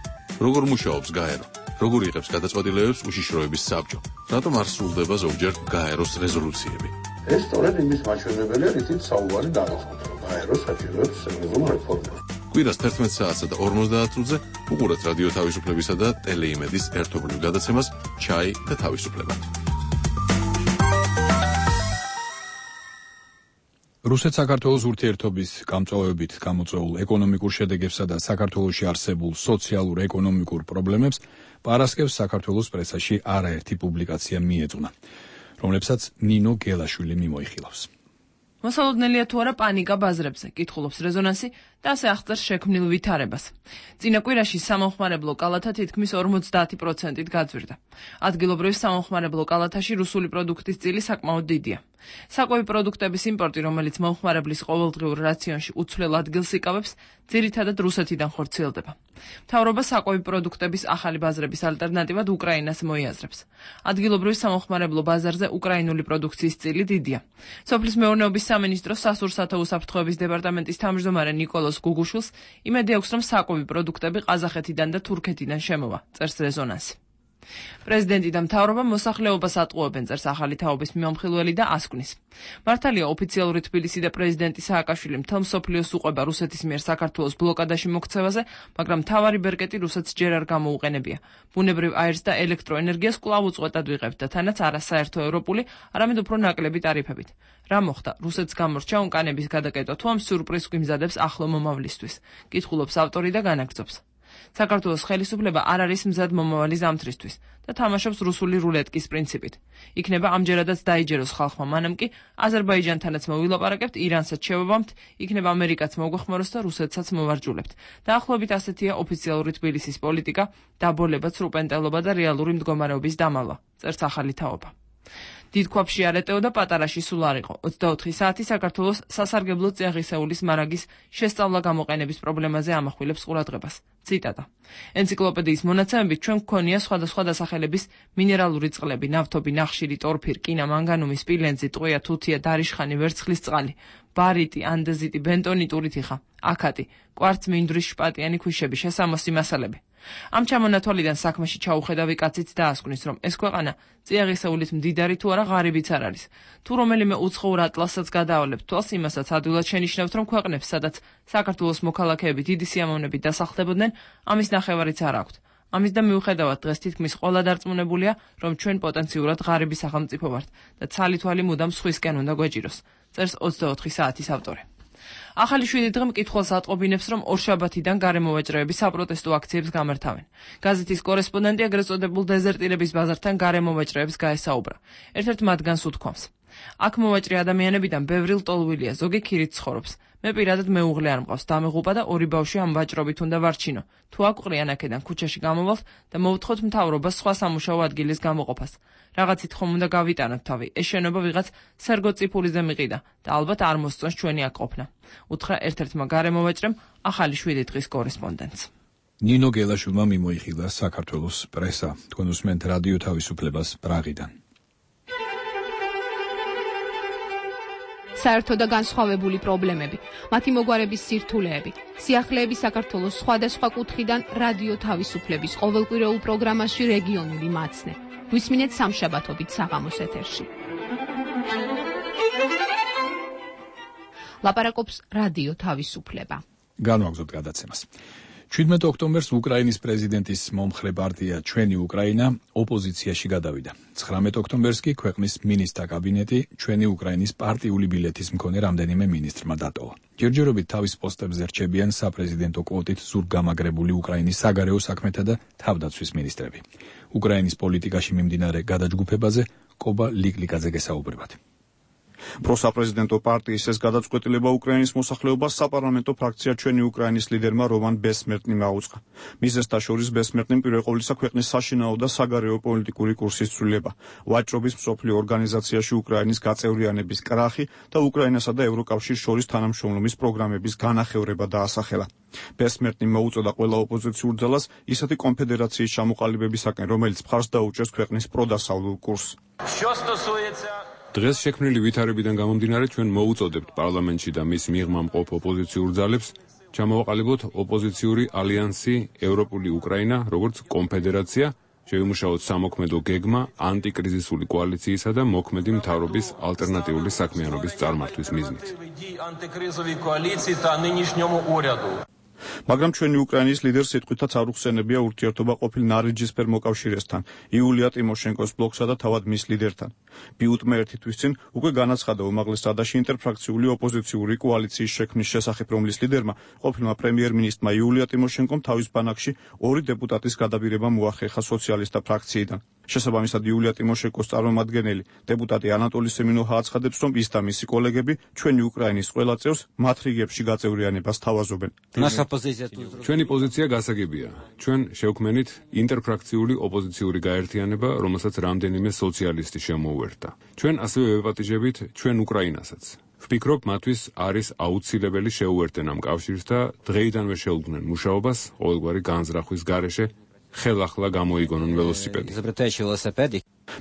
როგორ მუშაობს გაერო? როგორ იღებს გადაწყვეტილებებს უშიშროების საბჭო? რატომ არ სრულდება ზოგჯერ გაეროს რეზოლუციები? ეს სწორედ იმის მაჩვენებელია, რითიც საუბარი გადაწყობს, რომ გაერო საჭიროებს სერიოზულ რეფორმას. კვირას თერთმეტ საათსა და ორმოცდაათ წუთზე უყურეთ რადიო თავისუფლებისა და ტელეიმედის ერთობლივ გადაცემას ჩაი და თავისუფლება. რუსეთ-საქართველოს ურთიერთობის გამწვავებით გამოწვეულ ეკონომიკურ შედეგებსა და საქართველოში არსებულ სოციალურ-ეკონომიკურ პრობლემებს პარასკევს საქართველოს პრესაში არაერთი პუბლიკაცია მიეძღვნა, რომლებსაც ნინო გელაშვილი მიმოიხილავს. მოსალოდნელია თუ არა პანიკა ბაზრებზე, კითხულობს რეზონანსი და ასე აღწერს შექმნილ ვითარებას. წინა კვირაში სამომხმარებლო კალათა თითქმის ორმოცდაათი პროცენტით გაძვირდა. ადგილობრივ სამომხმარებლო კალათაში რუსული პროდუქტის წილი საკმაოდ დიდია. საკვები პროდუქტების იმპორტი, რომელიც მომხმარებლის ყოველდღიურ რაციონში უცვლელ ადგილს იკავებს, ძირითადად რუსეთიდან ხორციელდება. მთავრობა საკვები პროდუქტების ახალი ბაზრების ალტერნატივად უკრაინას მოიაზრებს. ადგილობრივ სამომხმარებლო ბაზარზე უკრაინული პროდუქციის წილი დიდია. სოფლის მეურნეობის სამინისტროს სასურსათო უსაფრთხოების დეპარტამენტის თავმჯდომარე ნიკოლოზ გუგუშვილს იმედი აქვს, რომ საკვები პროდუქტები ყაზახეთიდან და თურქეთიდან შემოვა, წერს რეზონანსი. პრეზიდენტი და მთავრობა მოსახლეობას ატყუებენ, წერს ახალი თაობის მიმომხილველი და ასკვნის. მართალია ოფიციალური თბილისი და პრეზიდენტი სააკაშვილი მთელ მსოფლიოს უყვება რუსეთის მიერ საქართველოს ბლოკადაში მოქცევაზე, მაგრამ მთავარი ბერკეტი რუსეთს ჯერ არ გამოუყენებია. ბუნებრივ აირს და ელექტროენერგიას კვლავ უწყვეტად ვიღებთ და თანაც არა საერთო ევროპული, არამედ უფრო ნაკლები ტარიფებით. რა მოხდა? რუსეთს გამორჩა უკანების გადაკეტვა თუ ამ სიურპრიზს გვიმზადებს ახლო მომავლისთვის? კითხულობს ავტორი და განაგრძობს. საქართველოს ხელისუფლება არ არის მზად მომავალი ზამთრისთვის და თამაშობს რუსული რულეტკის პრინციპით. იქნება ამჯერადაც დაიჯეროს ხალხმა, მანამ კი აზერბაიჯანთანაც მოვილაპარაკებთ, ირანსაც შევაბამთ, იქნება ამერიკაც მოგვეხმაროს და რუსეთსაც მოვარჯულებთ. დაახლოებით ასეთია ოფიციალური თბილისის პოლიტიკა, დაბოლება, ცრუპენტელობა და რეალური მდგომარეობის დამალვა, წერს ახალი თაობა. დიდ ქვაბში არ ეტეოდა, პატარაში სულ არ იყო. ოცდაოთხი საათი საქართველოს სასარგებლო წიაღისეულის მარაგის შესწავლა გამოყენების პრობლემაზე ამახვილებს ყურადღებას. ციტატა. ენციკლოპედიის მონაცემებით ჩვენ გვქონია სხვადასხვა დასახელების მინერალური წყლები, ნავთობი, ნახშირი, ტორფი, რკინა, მანგანუმი, სპილენძი, ტყვია, თუთია, დარიშხანი, ვერცხლის წყალი, ბარიტი, ანდეზიტი, ბენტონიტური თიხა, აქატი, კვარც, მინდვრის შპატიანი ქვიშები, შესამოსი მასალები. ამ ჩამონათვალიდან საქმეში ჩაუხედავი კაციც დაასკვნის, რომ ეს ქვეყანა წიაღისეულით მდიდარი თუ არა ღარიბიც არ არის. თუ რომელიმე უცხოურ ატლასსაც გადაავლებთ თვალს, იმასაც ადვილად შენიშნავთ, რომ ქვეყნებს, სადაც საქართველოს მოქალაქეები დიდი სიამოვნებით დასახლებოდნენ, ამის ნახევარიც არ აქვთ. ამის და მიუხედავად დღეს თითქმის ყველა დარწმუნებულია, რომ ჩვენ პოტენციურად ღარიბი სახელმწიფო ვართ და ცალი თვალი მუდამ სხვისკენ უნდა გვეჭიროს, წერს ოცდაოთხი საათის ავტორი. ახალი შვიდი დღე მკითხველს ატყობინებს, რომ ორშაბათიდან გარემოვაჭრეები საპროტესტო აქციებს გამართავენ. გაზეთის კორესპონდენტი ეგრეთ წოდებულ დეზერტირების ბაზართან გარემოვაჭრეებს გაესაუბრა. ერთ-ერთ მათგანს უთქვამს: აქ მოვაჭრე ადამიანებიდან ბევრი ლტოლვილია, ზოგი ქირით ცხოვრობს. მე პირადად მეუღლე არ მყავს, დამეღუპა და ორი ბავშვი ამ ვაჭრობით უნდა ვარჩინო. თუ აკვყრიან აქედან ქუჩაში გამოვალთ და მოვთხოვთ მთავრობას სხვა სამუშაო ადგილის გამოყოფას. რაღაცით ხომ უნდა გავიტანოთ თავი, ეს შენობა ვიღაც სერგო წიფულიზე მიყიდა და ალბათ არ მოსწონს ჩვენი აქ ყოფნა. უთხრა ერთ-ერთმა გარემოვაჭრემ ახალი შვიდი დღის კორესპონდენტს. ნინო გელაშვილმა მიმოიხილა საქართველოს პრესა. თქვენ უსმენთ რადიო თავისუფლებას პრაღიდან. საერთო და განსხვავებული პრობლემები, მათი მოგვარების სირთულეები, სიახლეები საქართველოს სხვადასხვა კუთხიდან რადიო თავისუფლების ყოველკვირეულ პროგრამაში რეგიონული მაცნე. გვისმინეთ სამშაბათობით საღამოს ეთერში. ლაპარაკობს რადიო თავისუფლება. განვაგრძობთ გადაცემას. შვიდმეტ ოქტომბერს უკრაინის პრეზიდენტის მომხრე პარტია ჩვენი უკრაინა ოპოზიციაში გადავიდა. ცხრამეტ ოქტომბერს კი ქვეყნის მინისტრთა კაბინეტი ჩვენი უკრაინის პარტიული ბილეთის მქონე რამდენიმე მინისტრმა დატოვა. ჯერჯერობით თავის პოსტებზე რჩებიან საპრეზიდენტო კვოტით ზურგგამაგრებული უკრაინის საგარეო საქმეთა და თავდაცვის მინისტრები. უკრაინის პოლიტიკაში მიმდინარე გადაჯგუფებაზე კობა ლიკლიკაძე გესაუბრებათ. პროსაპრეზიდენტო პარტიის ეს გადაწყვეტილება უკრაინის მოსახლეობას საპარლამენტო ფრაქცია ჩვენი უკრაინის ლიდერმა რომან ბესმერტნიმ აუწყა. მიზეზთა შორის ბესმერტნიმ პირველ ყოვლისა ქვეყნის საშინაო და საგარეო პოლიტიკური კურსის ცვლილება, ვაჭრობის მსოფლიო ორგანიზაციაში უკრაინის გაწევრიანების კრახი და უკრაინასა და ევროკავშირის შორის თანამშრომლობის პროგრამების განახევრება დაასახელა. ბესმერტნიმ მოუწოდა ყველა ოპოზიციურ ძალას ისეთი კონფედერაციის ჩამოყალიბებისაკენ, რომელიც მხარს დაუჭერს ქვეყნის პროდასავლურ კურსს. დღეს შექმნილი ვითარებიდან გამომდინარე ჩვენ მოუწოდებთ პარლამენტში და მის მიღმა მყოფ ოპოზიციურ ძალებს ჩამოვაყალიბოთ ოპოზიციური ალიანსი ევროპული უკრაინა, როგორც კონფედერაცია, შევიმუშაოთ სამოქმედო გეგმა ანტიკრიზისული კოალიციისა და მოქმედი მთავრობის ალტერნატიული საქმიანობის წარმართვის მიზნით. მაგრამ ჩვენი უკრაინის ლიდერს სიტყვითაც არ უხსენებია ურთიერთობა ყოფილ ნარინჯისფერ მოკავშირესთან, იულია ტიმოშენკოს ბლოკსა და თავად მის ლიდერთან. ბიუტმა ერთი თვის წინ უკვე განაცხადა უმაღლეს რადაში ინტერფრაქციული ოპოზიციური კოალიციის შექმნის შესახებ, რომლის ლიდერმა, ყოფილმა პრემიერ-მინისტრმა იულია ტიმოშენკომ თავის ბანაკში ორი დეპუტატის გადაბირება მოახერხა სოციალისტთა ფრაქციიდან. შესაბამისად, იულია ტიმოშენკოს წარმომადგენელი დეპუტატი ანატოლი სემინოჰა აცხადებს, რომ ის და მისი კოლეგები ჩვენი უკრაინის ყველა წევრს მათ რიგებში გაწევრიანებას თავაზობენ. ჩვენი პოზიცია გასაგებია. ჩვენ შევქმნით ინტერფრაქციული ოპოზიციური გაერთიანება, რომელსაც რამდენიმე სოციალისტი შემოუერთდა. ჩვენ ასევე ვეპატიჟებით ჩვენ უკრაინასაც. ვფიქრობ, მათთვის არის აუცილებელი შეუერთდნენ ამ კავშირს და დღეიდანვე შეუდგნენ მუშაობას ყოველგვარი განზრახვის გარეშე ხელახლა გამოიგონონ ველოსიპედი.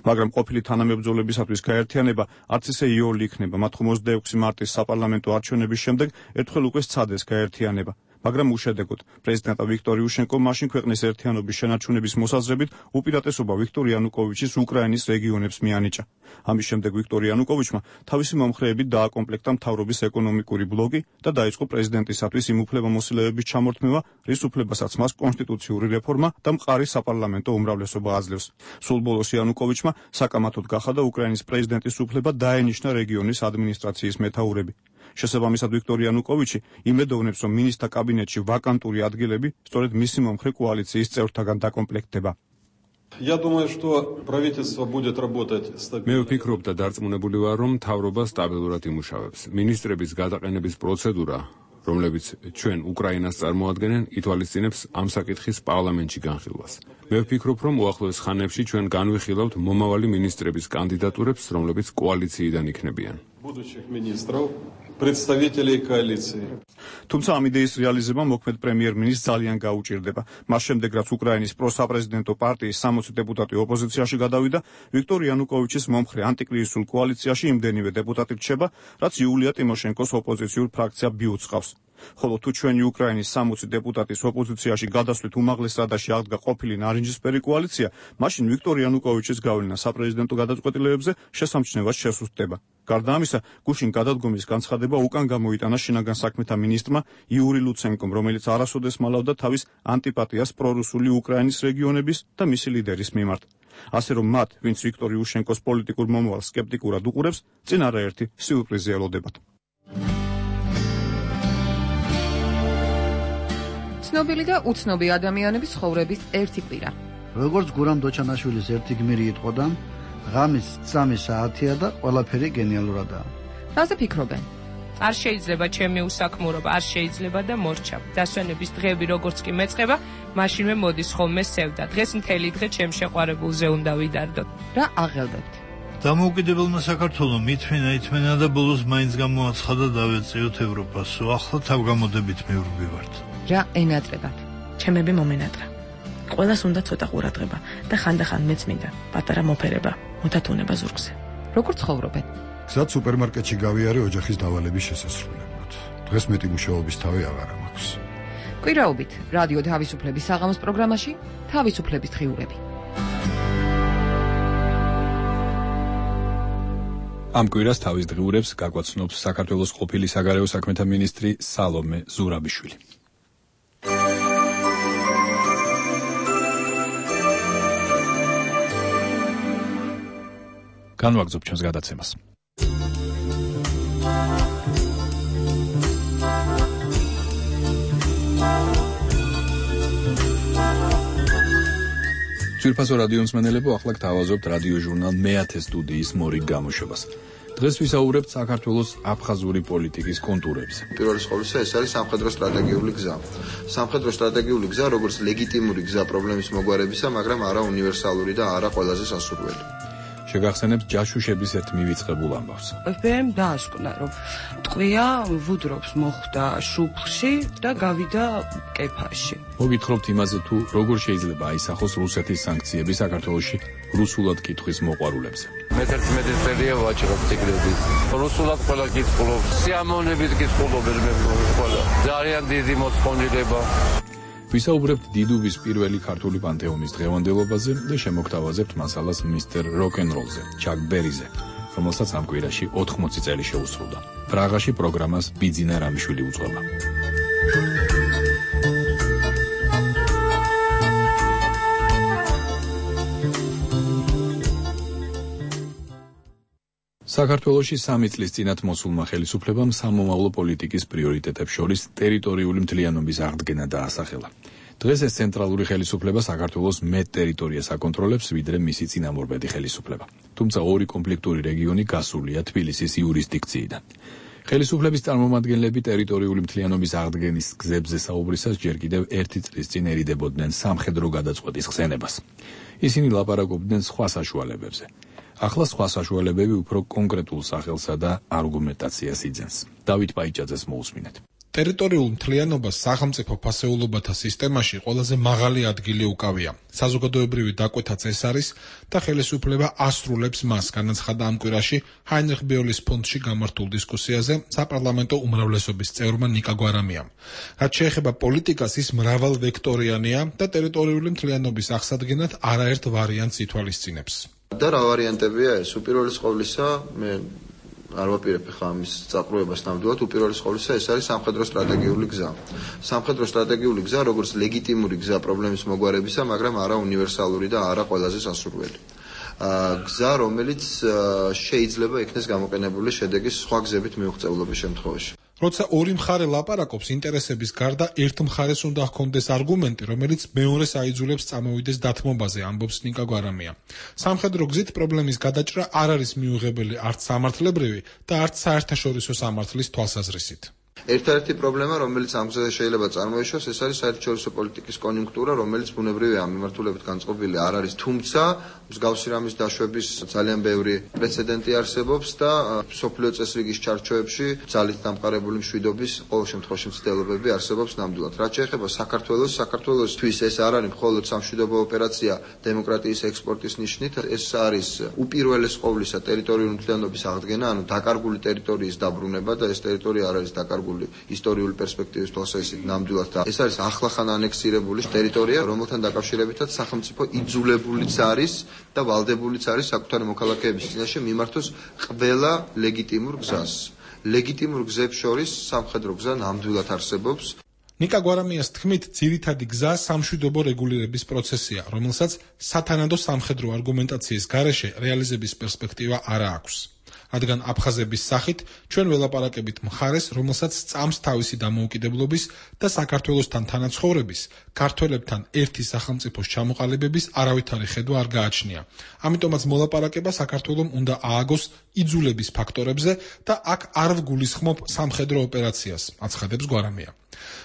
მაგრამ ყოფილი თანამებრძოლებისათვის გაერთიანება არც ისე იოლი იქნება. მათ ხუთმოცდაექვსი მარტის საპარლამენტო არჩევნების შემდეგ ერთხელ უკვე სცადეს გაერთიანება. მაგრამ უშედეგოდ პრეზიდენტა ვიქტორ იუშენკომ მაშინ ქვეყნის ერთიანობის შენარჩუნების მოსაზრებით უპირატესობა ვიქტორ იანუკოვიჩის უკრაინის რეგიონებს მიანიჭა. ამის შემდეგ ვიქტორ იანუკოვიჩმა თავისი მომხრეებით დააკომპლექტა მთავრობის ეკონომიკური ბლოკი და დაიწყო პრეზიდენტისათვის იმ უფლებამოსილების ჩამორთმევა, რის უფლებასაც მას კონსტიტუციური რეფორმა და მყარი საპარლამენტო უმრავლესობა აძლევს. სულ ბოლოს იანუკოვიჩმა საკამათოდ გახადა უკრაინის პრეზიდენტის უფლება დაენიშნა რეგიონის ადმინისტრაციის მეთაურები. შესაბამისად, ვიქტორ იანუკოვიჩი იმედოვნებს, რომ მინისტრთა კაბინეტში ვაკანტური ადგილები სწორედ მისი მომხრე კოალიციის წევრთაგან დაკომპლექტდება. მე ვფიქრობ და დარწმუნებული ვარ, რომ მთავრობა სტაბილურად იმუშავებს. მინისტრების გადაყენების პროცედურა, რომლებიც ჩვენ უკრაინას წარმოადგენენ, ითვალისწინებს ამ საკითხის პარლამენტში განხილვას. მე ვფიქრობ, რომ უახლოეს ხანებში ჩვენ განვიხილავთ მომავალი მინისტრების კანდიდატურებს, რომლებიც კოალიციიდან იქნებიან. თუმცა ამ იდეის რეალიზება მოქმედ პრემიერ-მინისტრს ძალიან გაუჭირდება. მას შემდეგ, რაც უკრაინის პროსაპრეზიდენტო პარტიის სამოცი დეპუტატი ოპოზიციაში გადავიდა, ვიქტორ იანუკოვიჩის მომხრე ანტიკრიზისულ კოალიციაში იმდენივე დეპუტატი რჩება, რაც იულია ტიმოშენკოს ოპოზიციურ ფრაქცია ბიუტს ყავს. ხოლო თუ ჩვენი უკრაინის სამოცი დეპუტატის ოპოზიციაში გადასვლით უმაღლეს რადაში აღდგა ყოფილი ნარინჯისფერი კოალიცია, მაშინ ვიქტორ იანუკოვიჩის გავლენა საპრეზიდენტო გადაწყვეტილებებზე შესამჩნევად შესუსტდება. გარდა ამისა, გუშინ გადადგომის განცხადება უკან გამოიტანა შინაგან საქმეთა მინისტრმა იური ლუცენკომ, რომელიც არასოდეს მალავდა თავის ანტიპატიას პრორუსული უკრაინის რეგიონების და მისი ლიდერის მიმართ. ასე რომ მათ, ვინც ვიქტორ იუშენკოს პოლიტიკურ მომავალს სკეპტიკურად უყურებს, წინ არაერთი სიურპრიზი ელოდებათ. ცნობილი და უცნობი ადამიანების ცხოვრების ერთი კვირა. როგორც გურამ დოჩანაშვილის ერთი გმირი იტყოდა, ღამის სამი საათია და ყველაფერი გენიალურადაა. რაზე ფიქრობენ? არ შეიძლება ჩემი უსაქმურობა, არ შეიძლება და მორჩა. დასვენების დღეები როგორც კი მეწყება, მაშინვე მოდის ხოლმე სევდა. დღეს მთელი დღე ჩემ შეყვარებულზე უნდა ვიდარდოთ. რა აღელვებთ? დამოუკიდებელმა საქართველომ ითმენა ითმენა და ბოლოს მაინც გამოაცხადა დავეწიოთ ევროპას. ახლა თავგამოდებით მივდივართ. რა ენატრებათ? ჩემები მომენატრა. ყველას უნდა ცოტა ყურადღება და ხანდახან მეც მინდა პატარა მოფერება, მუთათუნება ზურგზე. როგორ ცხოვრობენ? გზად სუპერმარკეტში გავიარე ოჯახის დავალების შესასრულებლად. დღეს მეტი მუშაობის თავი აღარ მაქვს. კვირაობით რადიო თავისუფლების საღამოს პროგრამაში თავისუფლების დღიურები. ამ კვირას თავის დღიურებს გაგვაცნობს საქართველოს ყოფილი საგარეო საქმეთა მინისტრი სალომე ზურაბიშვილი. განვაგრძობ ჩვენს გადაცემას. ძვირფასო რადიო მსმენელებო, ახლა გთავაზობთ რადიო ჟურნალ მეათე სტუდიის მორიგ გამოშვებას. დღეს ვისაუბრებთ საქართველოს აფხაზური პოლიტიკის კონტურებზე. პირველი ყოვლისა ეს არის სამხედრო სტრატეგიული გზა. სამხედრო სტრატეგიული გზა, როგორც ლეგიტიმური გზა პრობლემის მოგვარებისა, მაგრამ არა უნივერსალური და არა ყველაზე სასურველი. შეგახსენებთ ჯაშუშების ერთ მივიწყებულ ამბავს. ეფ-ემ დაასკვნა, რომ ტყვია ვუდრობს მოხვდა შუფლში და გავიდა კეფაში. მოგითხრობთ იმაზე, თუ როგორ შეიძლება აისახოს რუსეთის სანქციები საქართველოში რუსულად კითხვის მოყვარულებზე. მეთერთმეტი წელია ვაჭრობ ციკლებით. რუსულად ყველა კითხულობს, სიამოვნებით კითხულობენ მე ყველა. ძალიან დიდი მოწყობილება. ვისაუბრებთ დიდუბის პირველი ქართული პანთეონის დღევანდელობაზე და შემოგთავაზებთ მასალას მისტერ როკ-ენ-როლზე, ჩაკ ბერიზე, რომელსაც ამ კვირაში ოთხმოცი წელი შეუსრულდა. პრაღაში პროგრამას ბიძინა რამიშვილი უძღვება. საქართველოში სამი წლის წინათ მოსულმა ხელისუფლებამ სამომავლო პოლიტიკის პრიორიტეტებს შორის ტერიტორიული მთლიანობის აღდგენა დაასახელა. დღეს ეს ცენტრალური ხელისუფლება საქართველოს მეტ ტერიტორიას აკონტროლებს, ვიდრე მისი წინამორბედი ხელისუფლება. თუმცა ორი კონფლიქტური რეგიონი გასულია თბილისის იურისდიქციიდან. ხელისუფლების წარმომადგენლები ტერიტორიული მთლიანობის აღდგენის გზებზე საუბრისას ჯერ კიდევ ერთი წლის წინ ერიდებოდნენ სამხედრო გადაწყვეტის ხსენებას. ისინი ლაპარაკობდნენ სხვა საშუალებებზე. ახლა სხვა საშუალებები უფრო კონკრეტულ სახელსა და არგუმენტაციას იძენს. დავით პაიჭაძეს მოусმინეთ. ტერიტორიულ მთლიანობას სახელმწიფო ფასეულობათა სისტემაში ყველაზე მაღალი ადგილი უკავია. საზოგადოებრივი დაკვეთაც ეს არის და ხელისუფლება ასრულებს მას, განაცხადა ამ კვირაში ჰაინრიხ ბიოლის ფონდში გამართულ დისკუსიაზე საპარლამენტო უმრავლესობის წევრმა ნიკა გვარამიამ. რაც შეეხება პოლიტიკას, ის მრავალვექტორიანია და ტერიტორიული მთლიანობის აღსადგენად არაერთ ვარიანტს ითვალისწინებს. და რა ვარიანტებია ეს? უპირველეს ყოვლისა, მე არ ვაპირებ ხა ამის წაყრუებას ნამდვილად, უპირველეს ყოვლისა ეს არის სამხედრო სტრატეგიული გზა. სამხედრო სტრატეგიული გზა, როგორც ლეგიტიმური გზა პრობლემის მოგვარებისა, მაგრამ არა უნივერსალური და არა ყველაზე სასურველი. გზა, რომელიც შეიძლება იქნეს გამოყენებული შედეგის სხვა გზებით მიუღწევლობის შემთხვევაში. როცა ორი მხარე ლაპარაკობს ინტერესების გარდა, ერთ მხარეს უნდა ჰქონდეს არგუმენტი, რომელიც მეორეს აიძულებს წამოვიდეს დათმობაზე, ამბობს ნიკა გვარამია. სამხედრო გზით პრობლემის გადაჭრა არ არის მიუღებელი არც სამართლებრივი და არც საერთაშორისო სამართლის თვალსაზრისით. ერთადერთი პრობლემა, რომელიც ამ გზაზე შეიძლება წარმოიშვას, ეს არის საერთაშორისო პოლიტიკის კონიუნქტურა, რომელიც ბუნებრივია ამ მიმართულებით განწყობილი არ არის, თუმცა მსგავსი რამის დაშვების ძალიან ბევრი პრეცედენტი არსებობს და მსოფლიო წესრიგის ჩარჩოებში ძალით დამყარებული მშვიდობის ყოველ შემთხვევაში მცდელობები არსებობს ნამდვილად. რაც შეეხება საქართველოს, საქართველოსთვის ეს არ არის მხოლოდ სამშვიდობო ოპერაცია დემოკრატიის ექსპორტის ნიშნით, ეს არის უპირველეს ყოვლისა ტერიტორიული მთლიანობის აღდგენა, ანუ დაკარგული ტერიტორიის დაბრუნება და ეს ტერიტორია არ არის დაკარგული ისტორიული პერსპექტივის თვალსაზრისით ნამდვილად და ეს არის ახლახან ანექსირებული ტერიტორია, რომელთან დაკავშირებითაც სახელმწიფო იძულებულიც არის და ვალდებულიც არის საკუთარი მოქალაქეების წინაშე მიმართოს ყველა ლეგიტიმურ გზას. ლეგიტიმურ გზებს შორის სამხედრო გზა ნამდვილად არსებობს. ნიკა გვარამიას თქმით, ძირითადი გზა სამშვიდობო რეგულირების პროცესია, რომელსაც სათანადო სამხედრო არგუმენტაციის გარეშე რეალიზების პერსპექტივა არ აქვს. რადგან აფხაზების სახით ჩვენ ველაპარაკებით მხარეს, რომელსაც წამს თავისი დამოუკიდებლობის და საქართველოსთან თანაცხოვრების, ქართველებთან ერთი სახელმწიფოს ჩამოყალიბების არავითარი ხედვა არ გააჩნია. ამიტომაც მოლაპარაკება საქართველომ უნდა ააგოს იძულების ფაქტორებზე და აქ არ ვგულისხმობ სამხედრო ოპერაციას, აცხადებს გვარამია.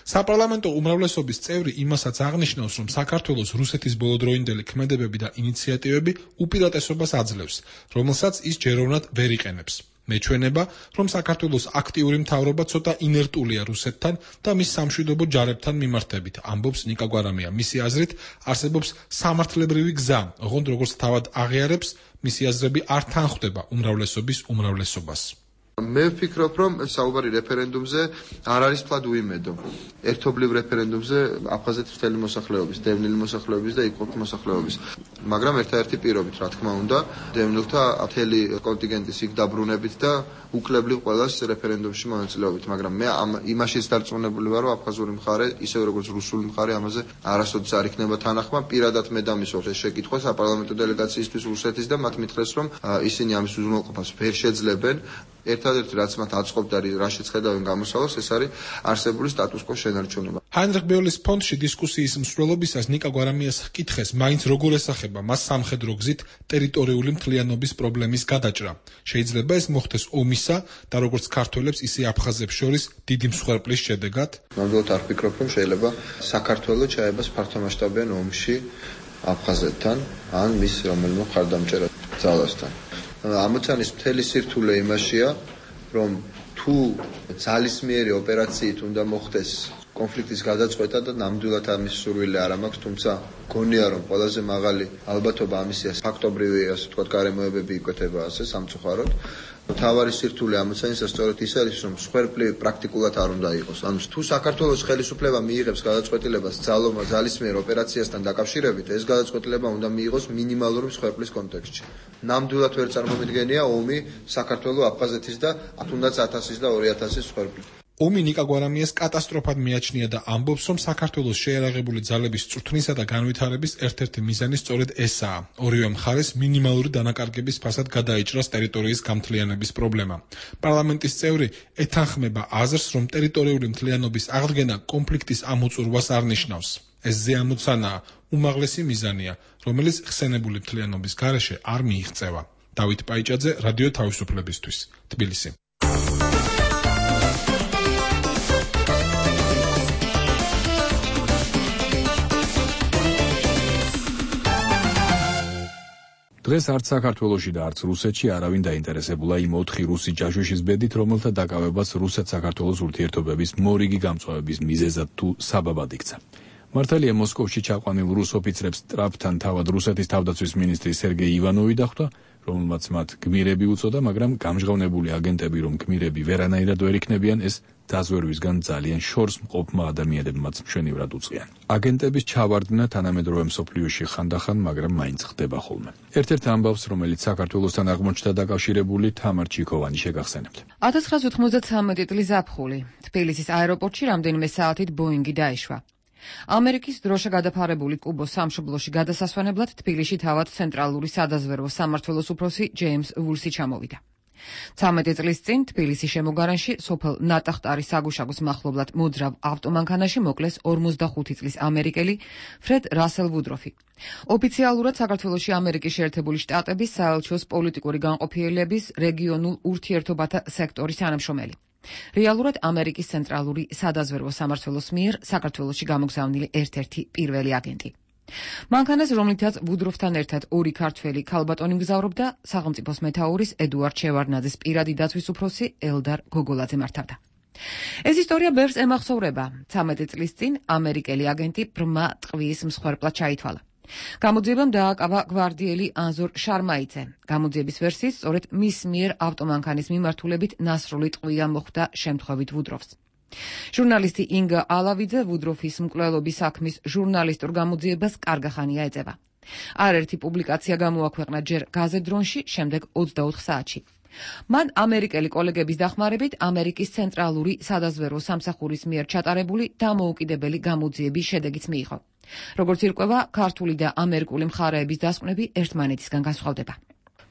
საპარლამენტო უმრავლესობის წევრი იმასაც აღნიშნავს, რომ საქართველოს რუსეთის ბოლოდროინდელი ქმედებები და ინიციატივები უპირატესობას აძლევს, რომელსაც ის ჯეროვნად ვერ იყენებს. მეჩვენება, რომ საქართველოს აქტიური მთავრობა ცოტა ინერტულია რუსეთთან და მის სამშვიდობო ჯარებთან მიმართებით, ამბობს ნიკა გვარამია. მისი აზრით, არსებობს სამართლებრივი გზა, ოღონდ როგორც თავად აღიარებს, მისი აზრები არ თანხვდება უმრავლესობის უმრავლესობას. მე ვფიქრობ, რომ საუბარი რეფერენდუმზე არ არის ფლად უიმედო. ერთობლივ რეფერენდუმზე აფხაზეთის მთელი მოსახლეობის, დევნილი მოსახლეობის და იქ მოსახლეობის. მაგრამ ერთადერთი პირობით, რა თქმა უნდა, დევნილთა მთელი კონტინგენტის იქ დაბრუნებით და უკლებლივ ყველას რეფერენდუმში მონაწილეობით. მაგრამ მე ამ იმაშიც დარწმუნებული ვარ, რომ აფხაზური მხარე, ისევ როგორც რუსული მხარე, ამაზე არასოდეს არ იქნება თანახმა. პირადად მე დამისვევ ეს შეკითხვა საპარლამენტო დელეგაციისთვის რუსეთის და მათ მითხრეს, რომ ისინი ამის უზრუნველყოფას ვერ შეძლებენ. ერთადერთი რაც მათ აწყობთ და რაშიც ხედავენ გამოსავალს, ეს არის არსებული სტატუს-კვოს შენარჩუნება. ჰაინრიხ ბეოლის ფონდში დისკუსიის მსვლელობისას ნიკა გვარამიას ჰკითხეს, მაინც როგორ ესახება მას სამხედრო გზით ტერიტორიული მთლიანობის პრობლემის გადაჭრა. შეიძლება ეს მოხდეს ომისა და როგორც ქართველებს, ისე აფხაზებს შორის დიდი მსხვერპლის შედეგად? ნამდვილად არ ვფიქრობ, რომ შეიძლება საქართველოს ჩაებას ფართომასშტაბიან ომში აფხაზეთთან ან მის რომელიმე მხარდამჭერ ძალასთან. ამოცანის მთელი სირთულე იმაშია, რომ თუ ძალისმიერი ოპერაციით უნდა მოხდეს კონფლიქტის გადაწყვეტა და ნამდვილად ამის სურვილი არ მაქვს, თუმცა გონია რომ ყველაზე მაღალი ალბათობა ამისია ფაქტობრივი, ასე ვთქვათ, გარემოებები იკვეთება ასე სამწუხაროდ. თავარი სირთულე ამოცანისა სწორედ ის არის, რომ მსხვერპლი პრაქტიკულად არ უნდა იყოს. ანუ თუ საქართველოს ხელისუფლება მიიღებს გადაწყვეტილებას ძალობა ძალისმიერ ოპერაციასთან დაკავშირებით, ეს გადაწყვეტილება უნდა მიიღოს მინიმალური მსხვერპლის კონტექსტში. ნამდვილად ვერ წარმომიდგენია ომი საქართველოს აფხაზეთის და თუნდაც ათასის და ორი ათასის მსხვერპლი. ომი ნიკა გვარამიას კატასტროფად მიაჩნია და ამბობს, რომ საქართველოს შეიარაღებული ძალების წვრთნისა და განვითარების ერთ-ერთი მიზანი სწორედ ესაა. ორივე მხარეს მინიმალური დანაკარგების ფასად გადაიჭრას ტერიტორიის გამთლიანების პრობლემა. პარლამენტის წევრი ეთანხმება აზრს, რომ ტერიტორიული მთლიანობის აღდგენა კონფლიქტის ამოწურვას არ ნიშნავს. ეს ზეამოცანაა, უმაღლესი მიზანია, რომელიც ხსენებული მთლიანობის გარეშე არ მიიღწევა. დავით პაიჭაძე, რადიო თავისუფლებისთვის, თბილისი. დღეს არც საქართველოში და არც რუსეთში არავინ დაინტერესებულა იმ ოთხი რუსი ჯაჟუშის ბედით, რომელთა დაკავებას რუსეთ-საქართველოს ურთიერთობების მორიგი გამწვავების მიზეზად თუ საბაბად იქცა. მართალია მოსკოვში ჩაყვანილ რუს ოფიცრებს ტრაპთან თავად რუსეთის თავდაცვის მინისტრი სერგეი ივანოვი დახვდა, რომელმაც მათ გმირები უწოდა, მაგრამ გამჟღავნებული აგენტები, რომ გმირები ვერანაირად ვერ იქნებიან, ეს დაზვერვისგან ძალიან შორს მყოფმა ადამიანებმაც მშვენივრად უწყიან. აგენტების ჩავარდნა თანამედროვე მსოფლიოში ხანდახან, მაგრამ მაინც ხდება ხოლმე. ერთ-ერთ ამბავს, რომელიც საქართველოსთან აღმოჩნდა დაკავშირებული, თამარ ჩიქოვანი შეგახსენებთ. ათას ცხრაას ოთხმოცდათვრამეტი წლის ზაფხული თბილისის აეროპორტში რამდენიმე საათით ბოინგი დაეშვა. ამერიკის დროშა გადაფარებული კუბოს სამშობლოში გადასასვენებლად თბილისში თავად ცენტრალური სადაზვერვო სამმართველოს უფროსი ჯეიმს ვულსი ჩამოვიდა. ცამეტი წლის წინ თბილისის შემოგარენში სოფელ ნატახტარის საგუშაგოს მახლობლად მოძრავ ავტომანქანაში მოკლეს ორმოცდახუთი წლის ამერიკელი ფრედ რასელ ვუდროფი. ოფიციალურად საქართველოში ამერიკის შეერთებული შტატების საელჩოს პოლიტიკური განყოფილებების რეგიონულ ურთიერთობათა სექტორის თანამშრომელი. რეალურად ამერიკის ცენტრალური სადაზვერვო სამმართველოს მიერ საქართველოში გამოგზავნილი ერთ-ერთი პირველი აგენტი. მანქანას, რომლითაც ვუდროფთან ერთად ორი ქართველი ქალბატონი მგზავრობდა, სახელმწიფოს მეთაურის ედუარდ შევარდნაძის პირადი დაცვის უფროსი ელდარ გოგოლაძე მართავდა. ეს ისტორია ბევრს ემახსოვრება. ცამეტი წლის წინ ამერიკელი აგენტი ბრმა ტყვის მსხვერპლად ჩაითვალა. გამოძიებამ დააკავა გვარდიელი ანზორ შარმაიძე. გამოძიების ვერსიით, სწორედ მის მიერ ავტომანქანის მიმართულებით ნასროლი ტყვია მოხვდა შემთხვევით ვუდროფს. ჟურნალისტი ინგა ალავიძე ვუდროფის მკვლელობის საქმის ჟურნალისტურ გამოძიებას კარგახანია ეწევა. არაერთი პუბლიკაცია გამოაქვეყნა ჯერ გაზეთ-დრონში, შემდეგ ოცდაოთხ საათში. მან ამერიკელი კოლეგების დახმარებით ამერიკის ცენტრალური სადაზვერვო სამსახურის მიერ ჩატარებული დამოუკიდებელი გამოძიების შედეგიც მიიღო. როგორც ირკვევა, ქართული და ამერიკული მხარეების დასკვნები ერთმანეთისგან განსხვავდება.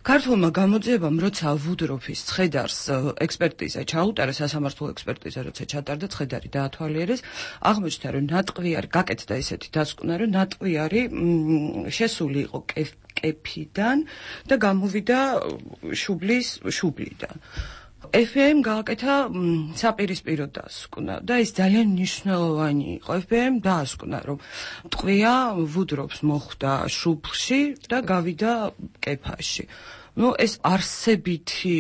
ქართულმა გამოძიებამ, როცა ვუდროფის ცხედარს ექსპერტიზა ჩაუტარა, სასამართლო ექსპერტიზა როცა ჩატარდა, ცხედარი დაათვალიერეს, აღმოჩნდა, რომ ნატყვიარი გაკეთდა ესეთი დასკვნა, რომ ნატყვიარი შესული იყო კეფიდან და გამოვიდა შუბლის შუბლიდან. ეფ ბი აიმ გააკეთა საპირისპირო დასკვნა და ეს ძალიან მნიშვნელოვანი იყო. ეფ ბი აიმ დაასკვნა, რომ ტყვია ვუდროფს მოხვდა შუბლში და გავიდა კეფაში. ну ეს არსებითი